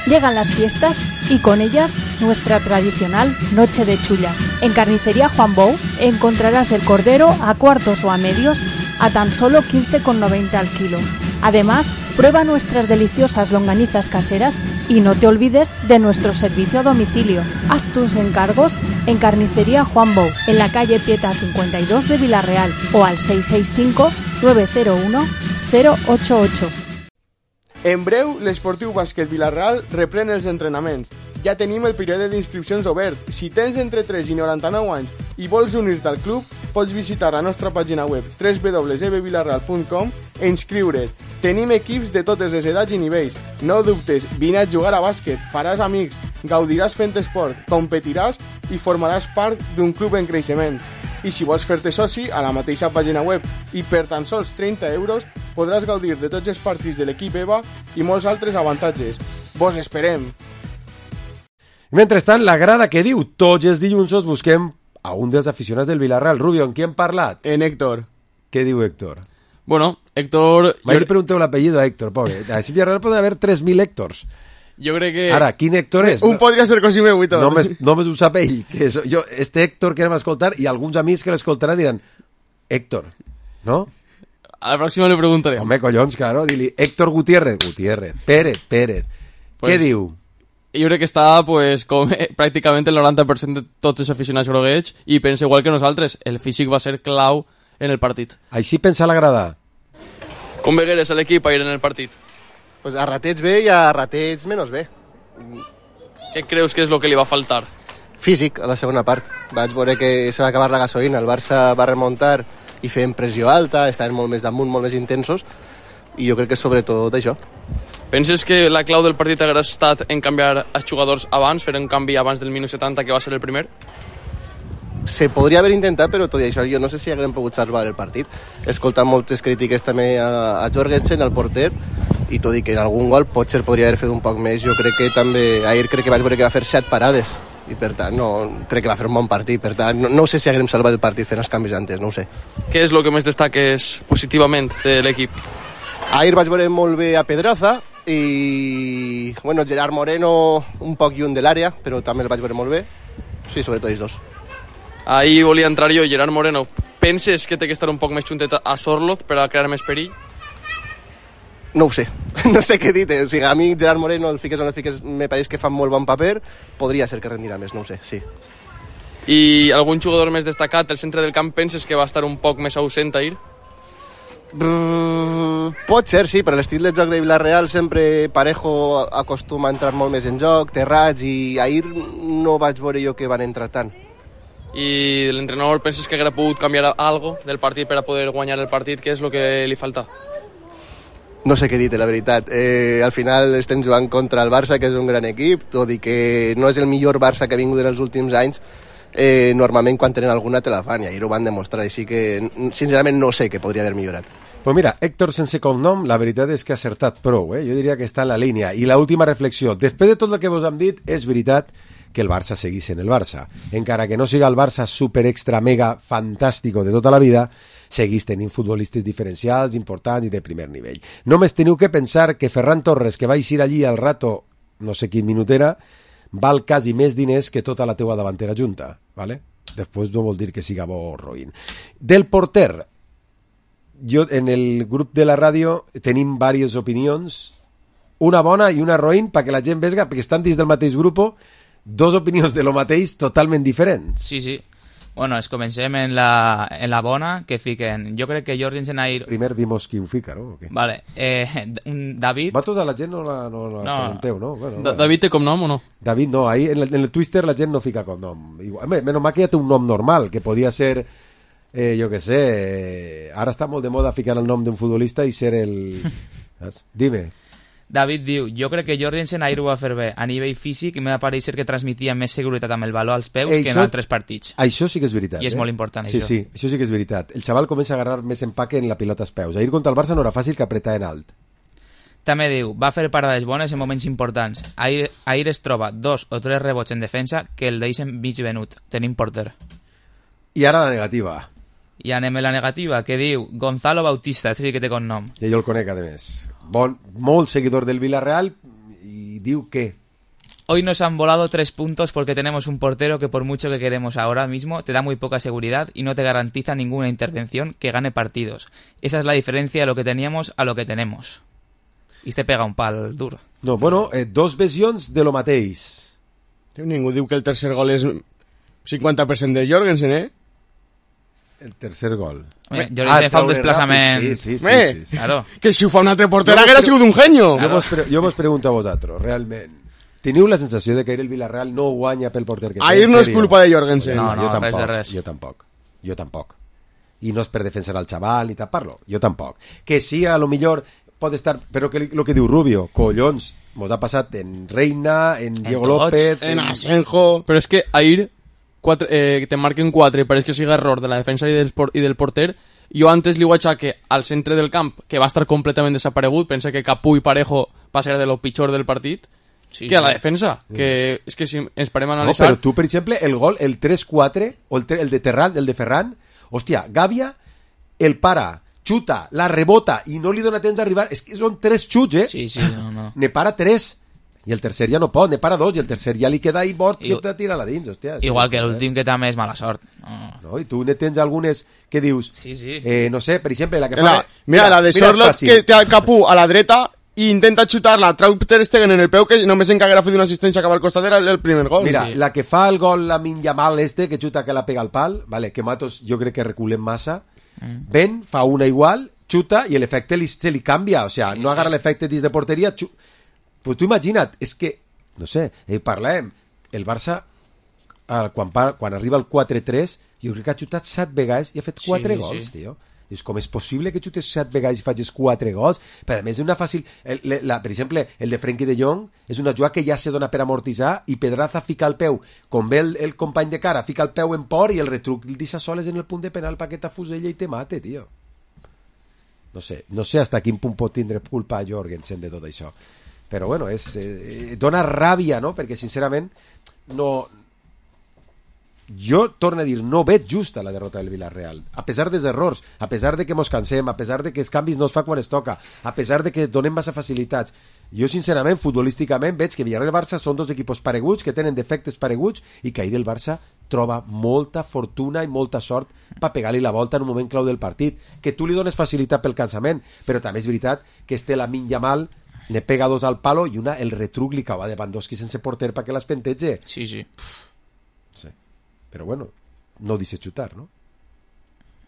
Llegan las fiestas y con ellas nuestra tradicional noche de chulla. En Carnicería Juan Bou encontrarás el cordero a cuartos o a medios a tan solo 15,90 al kilo. Además, Prueba nuestras deliciosas longanizas caseras y no te olvides de nuestro servicio a domicilio. Haz tus encargos en Carnicería Juan Bou, en la calle Pieta 52 de Vila-real o al 665-901-088. En breu, l'Esportiu Bàsquet Vila-real reprèn els entrenaments. Ja tenim el període d'inscripcions obert. Si tens entre 3 i 99 anys i vols unir-te al club, pots visitar la nostra pàgina web www.vilarreal.com e inscriure't. Tenim equips de totes les edats i nivells. No dubtes, vine a jugar a bàsquet, faràs amics, gaudiràs fent esport, competiràs i formaràs part d'un club en creixement. I si vols fer-te soci, a la mateixa pàgina web i per tan sols 30 euros podràs gaudir de tots els partits de l'equip EVA i molts altres avantatges. Vos esperem! Mentrestant, la grada que diu tots els dilluns busquem a un dels aficionats del Villarreal. Rubio, ¿en qui hem parlat? En Héctor. Què diu Héctor? Bueno, Héctor... Mai le pregunteu l'apellido a Héctor, pobre. A Villarreal pot haver 3.000 Héctors. Jo crec que... Ara, quin Héctor és? Un podria ser cosí meu i tot. Només ho sap ell. Que és, jo, este Héctor que anem a escoltar i alguns amics que l'escoltaran diran Héctor, no? A la pròxima le preguntaré. Home, collons, claro, dili Héctor Gutiérrez, Pérez. Pues, què diu? Jo crec que està, pues, com pràcticament el 90% de tots els aficionats groguets i pensa igual que nosaltres, el físic va ser clau en el partit. Així pensa la grada? Com vegueres a l'equip a ir en el partit? Pues a ratets bé i a ratets menys bé. Què creus que és el que li va faltar? Físic, a la segona part. Vaig veure que se va acabar la gasolina, el Barça va remuntar i feien pressió alta, estaven molt més damunt, molt més intensos, i jo crec que sobretot això. Penses que la clau del partit hagués estat en canviar els jugadors abans, fer un canvi abans del minut 70, que va ser el primer? Se podria haver intentat, però tot i això jo no sé si haguem pogut salvar el partit. He escoltat moltes crítiques també a Jorgensen, al porter, i tot i que en algun gol potser podria haver fet un poc més. Jo crec que també, ahir crec que vaig veure que va fer 7 parades, i per tant no, crec que va fer un bon partit. Per tant, no sé si haguem salvat el partit fent els canvis antes, no ho sé. Què és el que més destaques positivament de l'equip? Ahir vaig veure molt bé a Pedraza, i bueno, Gerard Moreno un poc lluny de l'àrea, però també el vaig veure molt bé. Sí, sobretot ells dos. Ahir volia entrar jo, Gerard Moreno. Penses que té que estar un poc més juntet a Sorloz per a crear més perill? No ho sé, no sé què dir. O sigui, a mi Gerard Moreno, el fiques o no el fiques, me pareix que fa molt bon paper. Podria ser que rendirà més, no ho sé, sí. I algun jugador més destacat del centre del camp penses que va estar un poc més ausent ahir? Pot ser, sí, per l'estil de joc de Villarreal sempre Parejo acostuma a entrar molt més en joc, Terrats, i ahir no vaig veure jo que van entrar tant. I l'entrenador penses que hauria pogut canviar algo del partit per a poder guanyar el partit? Què és el que li falta? No sé què dir, la veritat. Al final estem jugant contra el Barça, que és un gran equip, tot i que no és el millor Barça que ha vingut en els últims anys. Normalment quan tenen alguna te la fan, i ahir ho van demostrar, així que sincerament no sé què podria haver millorat. Pues mira, Héctor sense cognom, la veritat és que ha acertat prou, Jo diria que està en la línia. I l'última reflexió, després de tot el que vos hem dit, és veritat que el Barça seguís en el Barça. Encara que no siga el Barça super extra mega fantàstico de tota la vida, seguís tenint futbolistes diferencials, importants i de primer nivell. Només teniu que pensar que Ferran Torres, que va eixir allí al rato, no sé quin minut era, val quasi més diners que tota la teua davantera junta, ¿vale? Després no vol dir que siga bo o roïn. Del porter, jo en el grup de la ràdio tenim diverses opinions, una bona i una roïn, perquè la gent vega, perquè estan dins del mateix grup, dos opinions de lo mateix totalment diferents. Sí, sí. Bueno, comencem en la bona, que fiquen... Jo crec que Jorgensen ahir... Primer dimos qui ho fica, no? Okay. Vale. David... Vosaltres a la gent no la presenteu, no? Bueno, David té com nom o no? David no, ahí en el Twitter la gent no fica com nom. Menos mal que ja té un nom normal, que podia ser... jo què sé... Ara està molt de moda ficar el nom d'un futbolista i ser el... Dime. David diu, jo crec que Jorgensen ahir ho va fer bé a nivell físic i m'ha pareixer que transmetia més seguretat amb el baló als peus que en altres partits. Això sí que és veritat. I és molt important, sí, això. Sí, això sí que és veritat. El xaval comença a agarrar més empaque en la pilota als peus. Ahir contra el Barça no era fàcil que apretar en alt. També diu, va fer parades bones en moments importants. Ahir es troba 2 o 3 rebots en defensa que el deixen mig venut. Tenim porter. I ara la negativa. I anem a la negativa, que diu Gonzalo Bautista, sí que té con nom. Ja jo el conec, a més. Molt seguidor del Villarreal, y diu que... Hoy nos han volado 3 puntos porque tenemos un portero que por mucho que queremos ahora mismo te da muy poca seguridad y no te garantiza ninguna intervención que gane partidos. Esa es la diferencia de lo que teníamos a lo que tenemos. I te pega un pal dur. No, bueno, dos visions de lo mateix. Ningú diu que el tercer gol és 50% de Jorgensen, El tercer gol. Jorgensen fa un desplaçament... Sí. Claro. Que si ho fa un altre porter haguera sigut un genio. Jo vos pregunto a vosaltres, realment, teniu la sensació de que el Villarreal no guanya pel porter que té? Ahir no és culpa de Jorgensen. No, res de res. Jo tampoc. I no és per defensar al xaval ni tapar-lo. Jo tampoc. Que sí, a lo millor pot estar... Però que lo que diu Rubio, collons, mos ha passat en Reina, en Diego López... En Asenjo... Però és que ahir te marquen 4 i pareix que sigui error de la defensa i del porter. Jo antes li ho aixeque al centre del camp, que va estar completament desaparegut. Pensa que Capú i Parejo va ser de lo pitjor del partit. Sí, que a la defensa, que és que si ens parem a analitzar... No, però tu, per exemple, el gol, el 3-4, o el de Ferran, hòstia, Gàbia, el para, xuta, la rebota i no li dona temps d'arribar, és que són 3 xuts, Sí, no. Ne para 3, i el tercer ja no pot, ne para 2, i el tercer ja li queda ahí mort i te tira-la dins, hòstia. Igual que l'últim, que també és mala sort. No, i tu ne tens algunes que dius... Sí. No sé, per exemple, la que fa... Mira, la de Sorlot, que té el Capú a la dreta i intenta xutar-la, trau Ter Stegen en el peu, que només en que haguera fet una assistència cap al costat era el primer gol. Mira, la que fa el gol la Minyamal que xuta que la pega al pal, vale, que Matos jo crec que reculen massa, ven, fa una igual, xuta i l'efecte se li canvia, o sea, no agarra l'efecte dins de porteria, pues tu imagina't, és que, no sé, parlem, el Barça quan arriba el 4-3 jo crec que ha xutat 7 vegades i ha fet 4 gols, tio. És com és possible que xutes 7 vegades i facis 4 gols? Per a més, és una fàcil... per exemple, el de Frenkie de Jong és una jugada que ja se dona per amortitzar i Pedraza fica el peu, com ve el company de cara, fica el peu en por i el retruc el deixa soles en el punt de penal perquè t'afusella i te mate, tio. No sé hasta quin punt pot tindre culpa a Jorgensen de tot això. Però, bueno, dona ràbia, no? Perquè, sincerament, no... Jo, torno a dir, no veig justa la derrota del Villarreal, a pesar dels errors, a pesar de que mos cansem, a pesar de que els canvis no es fa quan es toca, a pesar de que donem massa facilitats. Jo, sincerament, futbolísticament, veig que Villarreal i Barça són dos equipos pareguts, que tenen defectes pareguts, i que ahir el Barça troba molta fortuna i molta sort per pegar-li la volta en un moment clau del partit, que tu li dones facilitat pel cansament, però també és veritat que Lamine Yamal ne pega 2 al palo i una, el retruc li cau a Lewandowski sense porter perquè l'espentege. Sí. Sí. Però bueno, no dice xutar, ¿no?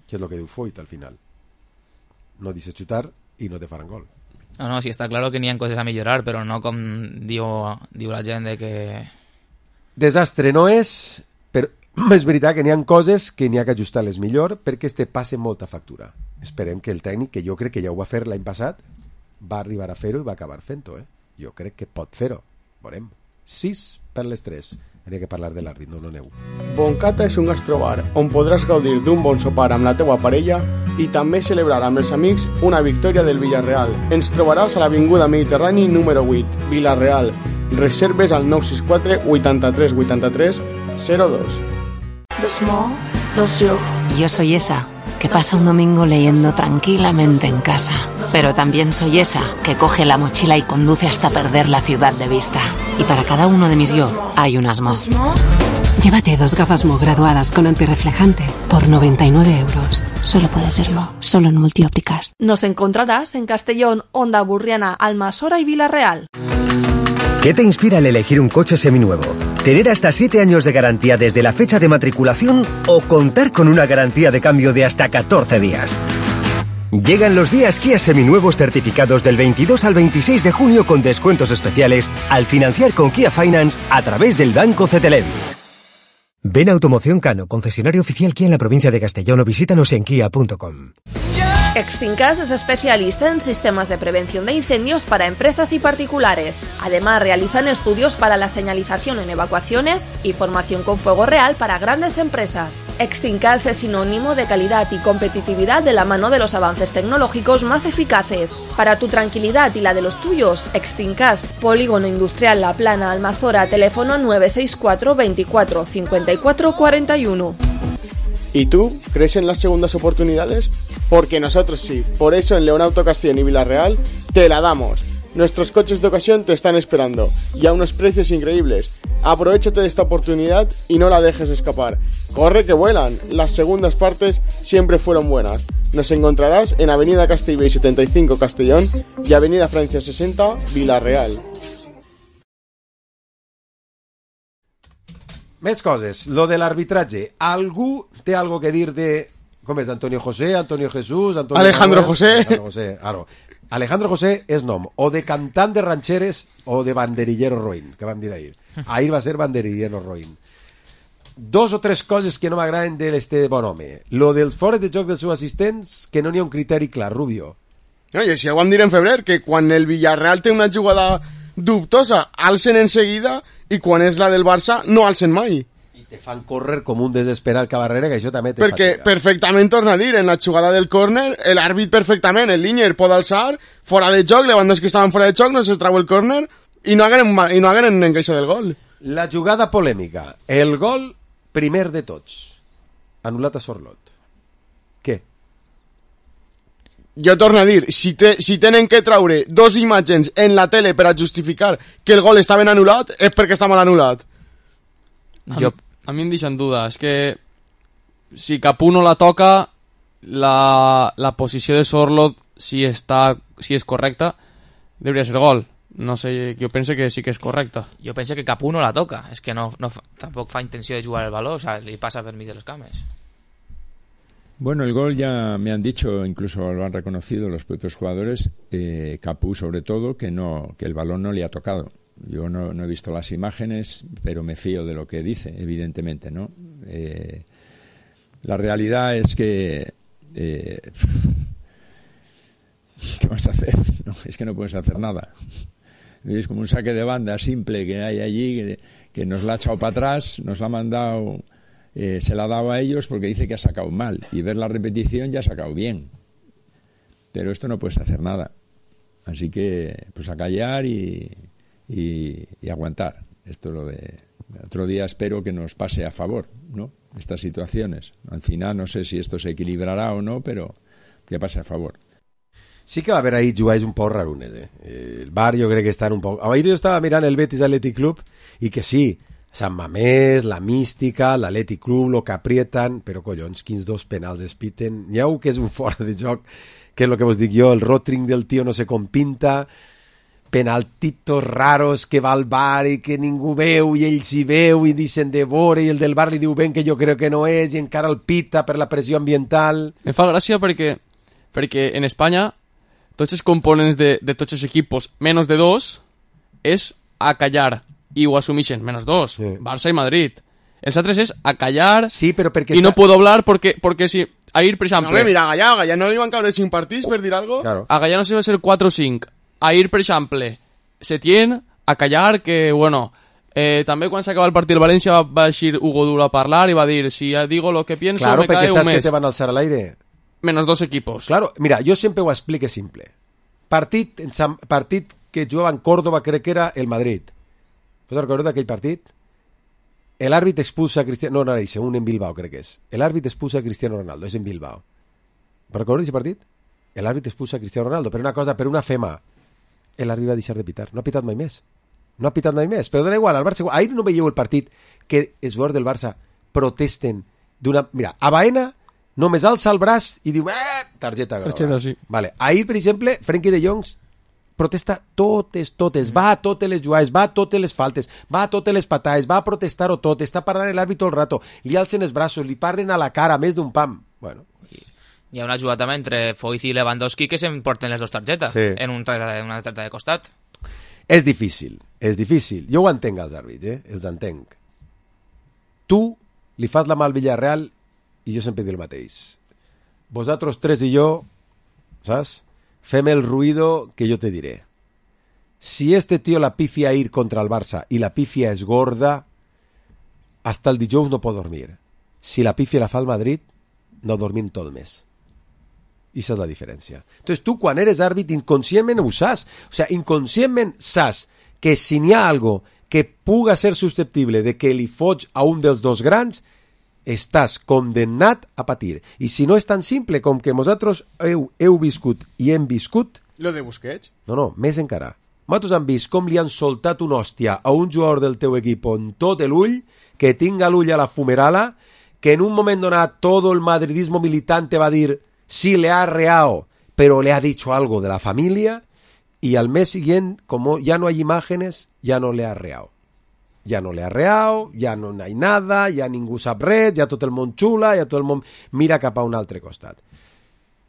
Que és lo que diu Foyt al final. No dice xutar i no te faran gol. No, sí, està claro que n'hi ha coses a millorar, però no com diu la gent de que... Desastre no és, però és veritat que n'hi ha coses que n'hi ha que ajustar-les millor perquè passe molta factura. Esperem que el tècnic, que jo crec que ja ho va fer l'any passat, va arribar a fer-ho i va acabar fent-ho, Jo crec que pot fer-ho. Veurem. 6 per les 3. Hauria que parlar de l'àrbit, no aneu. Boncata és un gastrobar on podràs gaudir d'un bon sopar amb la teua parella i també celebrar amb els amics una victòria del Villarreal. Ens trobaràs a l'Avinguda Mediterrani número 8, Villarreal. Reserves al 964 83 83 02. Yo soy esa que pasa un domingo leyendo tranquilamente en casa. Pero también soy esa que coge la mochila y conduce hasta perder la ciudad de vista. Y para cada uno de mis yo hay unas Mo. Llévate 2 gafas Mo graduadas con antirreflejante por 99 euros. Solo puede ser Mo, solo en Multiópticas. Nos encontrarás en Castellón, Onda Burriana, Almasora y Villarreal. ¿Qué te inspira al elegir un coche seminuevo? ¿Tener hasta 7 años de garantía desde la fecha de matriculación o contar con una garantía de cambio de hasta 14 días? Llegan los días Kia seminuevos certificados del 22 al 26 de junio con descuentos especiales al financiar con Kia Finance a través del Banco CTLM. Ven a Automoción Cano, concesionario oficial Kia en la provincia de Castellón, o visítanos en kia.com. Extincas es especialista en sistemas de prevención de incendios para empresas y particulares. Además, realizan estudios para la señalización en evacuaciones y formación con fuego real para grandes empresas. Extincas es sinónimo de calidad y competitividad de la mano de los avances tecnológicos más eficaces. Para tu tranquilidad y la de los tuyos, Extincas, Polígono Industrial La Plana, Almazora, teléfono 964 24 54 41. ¿Y tú crees en las segundas oportunidades? Porque nosotros sí. Por eso en León Auto Castellón y Villarreal te la damos. Nuestros coches de ocasión te están esperando y a unos precios increíbles. Aprovechate de esta oportunidad y no la dejes escapar. Corre que vuelan. Las segundas partes siempre fueron buenas. Nos encontrarás en Avenida Castellbell 75 Castellón y Avenida Francia 60 Villarreal. Més coses. Lo de l'arbitratge. Algú té algo que dir de... Com és? Antonio José, Antonio Jesús... Alejandro José. Alejandro José, claro. Alejandro José és nom o de cantant de rancheres o de banderillero roïn, que vam dir ahir. Ahir va ser banderillero roïn. Dos o tres coses que no m'agraden de l'este bon home. Lo dels fores de joc dels seus assistents, que no n'hi ha un criteri clar, Rubio. Oye, si ho vam dir en febrer, que quan el Villarreal té una jugada dubtosa, alcen en seguida, i quan és la del Barça, no alcen mai. Te fan córrer com un desesperat Cabarrera, que això també te perquè fatiga. Perfectament, torna a dir, en la jugada del córner, l'àrbit perfectament, el línier pot alçar, fora de joc, Lewandowski estaven fora de joc, no se trau el córner, i no hagueren encaixat del gol. La jugada polèmica, el gol primer de tots, anul·lat a Sorlot. Què? Jo torno a dir, si tenen que traure dos imatges en la tele per a justificar que el gol està ben anul·lat, és perquè està mal anul·lat. A mi em deixen duda. És que si Capú no la toca, la posició de Sorlot, si és correcta, hauria ser gol. No sé, jo penso que sí que és correcta. Jo penso que Capú no la toca. És que no, tampoc fa intenció de jugar el baló, o sea, li passa per mig de les cames. Bueno, el gol ya me han dicho, incluso lo han reconocido los propios jugadores, Capú sobre todo, que el balón no le ha tocado. Yo no he visto las imágenes, pero me fío de lo que dice, evidentemente, ¿no? La realidad es que... ¿qué vas a hacer? No, es que no puedes hacer nada. Es como un saque de banda simple que hay allí, que nos la ha echado para atrás, nos la ha mandado, se la ha dado a ellos porque dice que ha sacado mal. Y ver la repetición ya ha sacado bien. Pero esto no puedes hacer nada. Así que, pues a callar y aguantar. Esto lo de otro día espero que nos pase a favor, ¿no? Estas situaciones. Al final no sé si esto se equilibrará o no, pero que pase a favor. Sí que va haver ahí jugades un poc rarunes, El Bar jo crec que estan un poc... Ahir jo estava mirant el Betis Athletic Club i que sí, Sant Mamés, la mística, l'Athletic Club, lo que aprieten, però collons, quins dos penals es piten. N'hi ha un que és un fora de joc, que és el que vos dic jo, el rotring del tio no sé com pinta, penaltitos raros que va al bar i que ningú veu i ells hi veu i dicen de vore i el del bar li diu ben que jo crec que no és i encara el pita per la pressió ambiental. Me fa gràcia perquè en Espanya tots els components de tots els equipos menys de dos és a callar i ho assumeixen, menys dos, sí. Barça i Madrid. Els altres és a callar sí, però perquè i no puedo hablar perquè si ahir, per exemple... No, mira, a Gallà no li van caure 5 partits per dir algo? Claro. A Gallà no se va ser 4 o 5. Ahir, per exemple, Setién a callar que, bueno, també quan s'acaba el partit el València va eixir Hugo Duro a parlar i va dir, si ja digo lo que pienso, claro, me cae un mes. Claro, perquè saps que te van alçar a l'aire. Menos dos equipos. Claro, mira, jo sempre ho explique simple. Partit que jugava en Córdoba, crec que era el Madrid. Vos recordeu d'aquell partit? L'àrbit expulsa a Cristiano... No, no era un en Bilbao, crec que és. L'àrbit expulsa a Cristiano Ronaldo, és en Bilbao. Vos recordeu d'aquell partit? L'àrbit expulsa a Cristiano Ronaldo, per una cosa, per una fema. L'àrbit va deixar de pitar. No ha pitat mai més. No ha pitat mai més. Però dona igual, al Barça... Ahir no veieu el partit que els jugadors del Barça protesten d'una... Mira, a Baena només alça el braç i diu targeta groga. Targeta, sí. Vale. Ahir, per exemple, Frenkie de Jong protesta totes. Va a totes les jugades, va a totes les faltes, va a totes les patades, va a protestar-ho tot, està parlant l'àrbit tot el rato, li alcen els braços, li parlen a la cara, més d'un pam. Bueno... Hi ha una jugada també entre Foyt i Lewandowski que s'emporten les dues targetes en una targeta de costat. És difícil. Jo ho entenc, els àrbits, els entenc. Tu li fas la mà al Villarreal i jo sempre dic el mateix. Vosaltres tres i jo, saps? Fem el ruido que jo te diré. Si este tío la pifia ir contra el Barça i la pifia és gorda, hasta el dijous no pot dormir. Si la pifia la fa el Madrid, no dormim tot el mes. I esa és la diferència. Entonces tu quan eres àrbit inconscientment ho saps. O sea, inconscientment saps que si n'hi ha algo que puga ser susceptible de que li foig a un dels dos grans, estàs condemnat a patir. I si no és tan simple com que vosaltres heu viscut i hem viscut... Lo de Busquets? No, més encara. Nosaltres hem vist com li han soltat una hòstia a un jugador del teu equip en tot l'ull, que tinga l'ull a la fumerala, que en un moment donat todo el madridismo militante va a dir sí le ha arreado, pero le ha dicho algo de la familia, y al mes siguiente, como ya no hay imágenes, ya no le ha arreado. Ja no l'he arreat, ja no hi ha nada, ja ningú sap res, ja tot el món xula, ja tot el món mira cap a un altre costat.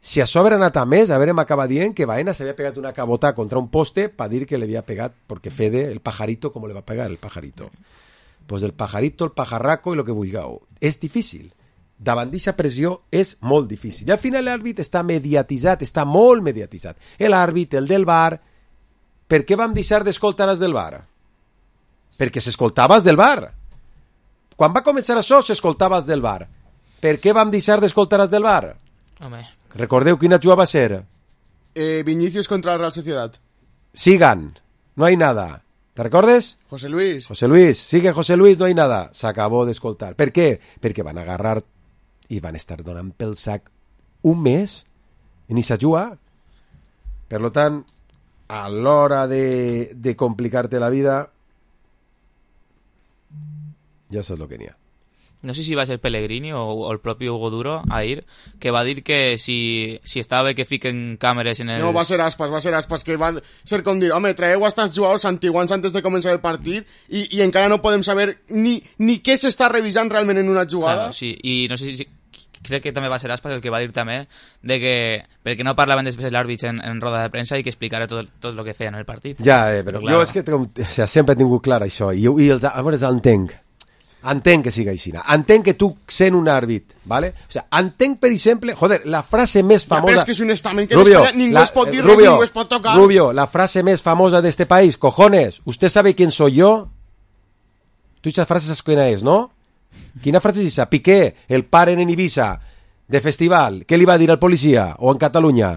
Si a sobre ha anat a més, a veure, m'acaba dient que Baena s'havia pegat una cabota contra un poste per dir que l'havia pegat, perquè Fede, el pajarito, com le va pegar el pajarito? Pues del pajarito, el pajarraco i lo que vulgueu. És difícil. Davant d'aquesta pressió és molt difícil. I al final l'àrbit està mediatitzat, està molt mediatitzat. L'àrbit, el del VAR... Per què vam deixar d'escoltar els del VAR? Perquè s'escoltava els del VAR. Quan va començar això, s'escoltava els del VAR. Per què vam deixar d'escoltar els del VAR? Home. Recordeu quina jugada va ser? Vinicius contra la Real Sociedad. Sigan, no hay nada. ¿Te recordes? José Luis. José Luis, sigue José Luis, no hay nada. S'acabó d'escoltar. Per què? Perquè van agarrar i van estar donant pel sac un mes en aquesta jugada. Per tant, a l'hora de complicar-te la vida, ja saps el que n'hi ha. No sé si va ser Pellegrini o el propi Hugo Duro ahir, que va dir que si estava bé que fiquen càmeres en els... No, va ser Aspas, que va ser com dir, home, traeu a estos jugadors antiguans antes de començar el partit i encara no podem saber ni què s'està revisant realment en una jugada. Claro, sí, i no sé si... Crec que també va ser Aspas el que va dir també de que perquè no parlaven després l'àrbit en roda de premsa i que explicara tot el que feien en el partit. Ja, però jo és que sempre he tingut clar això i a veure, entenc que sigui així. Entenc que tu sent un àrbit, ¿vale? O sea, entenc, per exemple, la frase més famosa... Ja, però és que és un estament que Rubio, ningú es pot dir res, ningú es pot tocar. Rubio, la frase més famosa de este país, cojones, ¿usted sabe quién soy yo? Tu esa frase saps quina és, no? Quina frase és esa? Piqué, el paren en Ibiza, de festival, què li va dir al policia? O en Catalunya?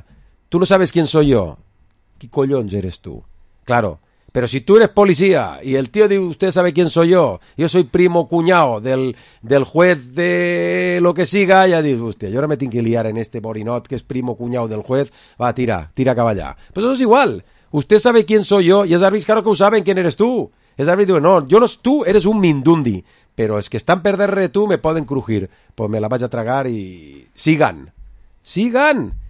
Tu no sabes quién soy yo. ¿Qué collons eres tú? Claro. Pero si tú eres policía y el tío dice, usted sabe quién soy yo soy primo cuñado del juez de lo que siga, ya dice, hostia, yo ahora me tengo que liar en este borinot que es primo cuñado del juez, va, tira cap allá. Pues eso es igual, usted sabe quién soy yo y es árbitro, claro que saben quién eres tú. Es árbitro, no, tú eres un mindundi, pero es que están perder tú, me pueden crujir, pues me la vaig a tragar y sigan,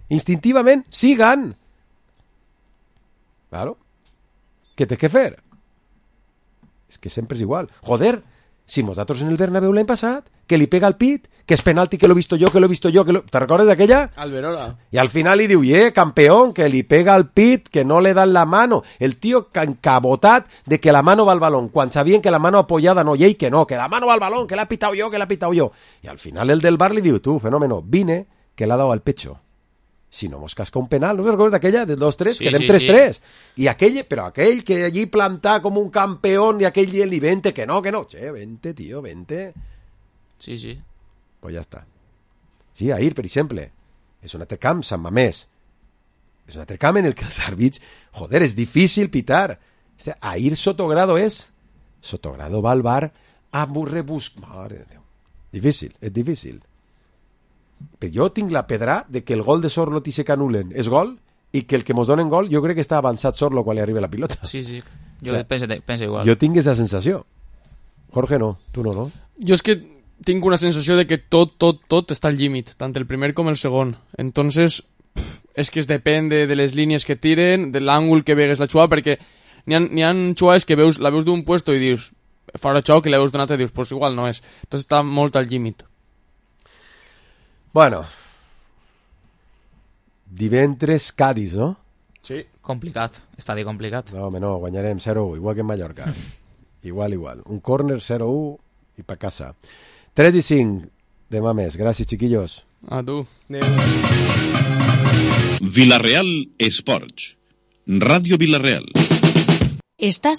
instintivamente, sigan. Claro. ¿Qué té que fer? És que sempre és igual. Joder, si nosaltres en el Bernabéu l'any passat, que li pega al pit, que és penalti, que l'he visto yo, ¿te recordes d'aquella? Alberola. Y al final li diu, campeón, que li pega al pit, que no le dan la mano. El tío encabotat de que la mano va al balón, quan sabien que la mano apoyada no, y que no, que la mano va al balón, que la he pitado yo. Y al final el del bar li diu, tú, fenómeno, vine, que le ha dado al pecho. Si no mos casca un penal, ¿no te recuerdas d'aquella? De 2-3, sí, quedem 3-3. Sí. Y aquell que allí planta como un campeón y aquell li vente, que no. Che, vente, tío, vente. Sí. Pues ya está. Sí, ahir, per exemple. És un altre camp, Sant Mamés. És un altre camp en el que els àrbits... Joder, és difícil pitar. Ahir Sotogrado Sotogrado va al bar a rebuscar. Mare de Déu. Difícil, és difícil. Però jo tinc la pedra de que el gol de Sorlo i se canulen és gol i que el que mos donen gol jo crec que està avançat Sorlo quan li arriba la pilota. Sí, jo penso igual. Jo tinc aquesta sensació. Jorge no, tu no? Jo és que tinc una sensació de que tot està al límit, tant el primer com el segon. Entonces, és que es depèn de les línies que tiren, de l'àngul que vegues la jugada, perquè n'hi ha jugades que la veus d'un puesto i dius, farà xoc, i la veus d'un altre i dius, pues igual no és. Entonces està molt al límit. Bueno, divendres Cádiz, no? Sí. Complicat, estadi complicat. No, home, no, guanyarem 0-1, igual que en Mallorca. igual. Un córner 0-1 i pa casa. 3-5, demà més. Gràcies, chiquillos. A tu. Villarreal Esports. Ràdio Villarreal. Estàs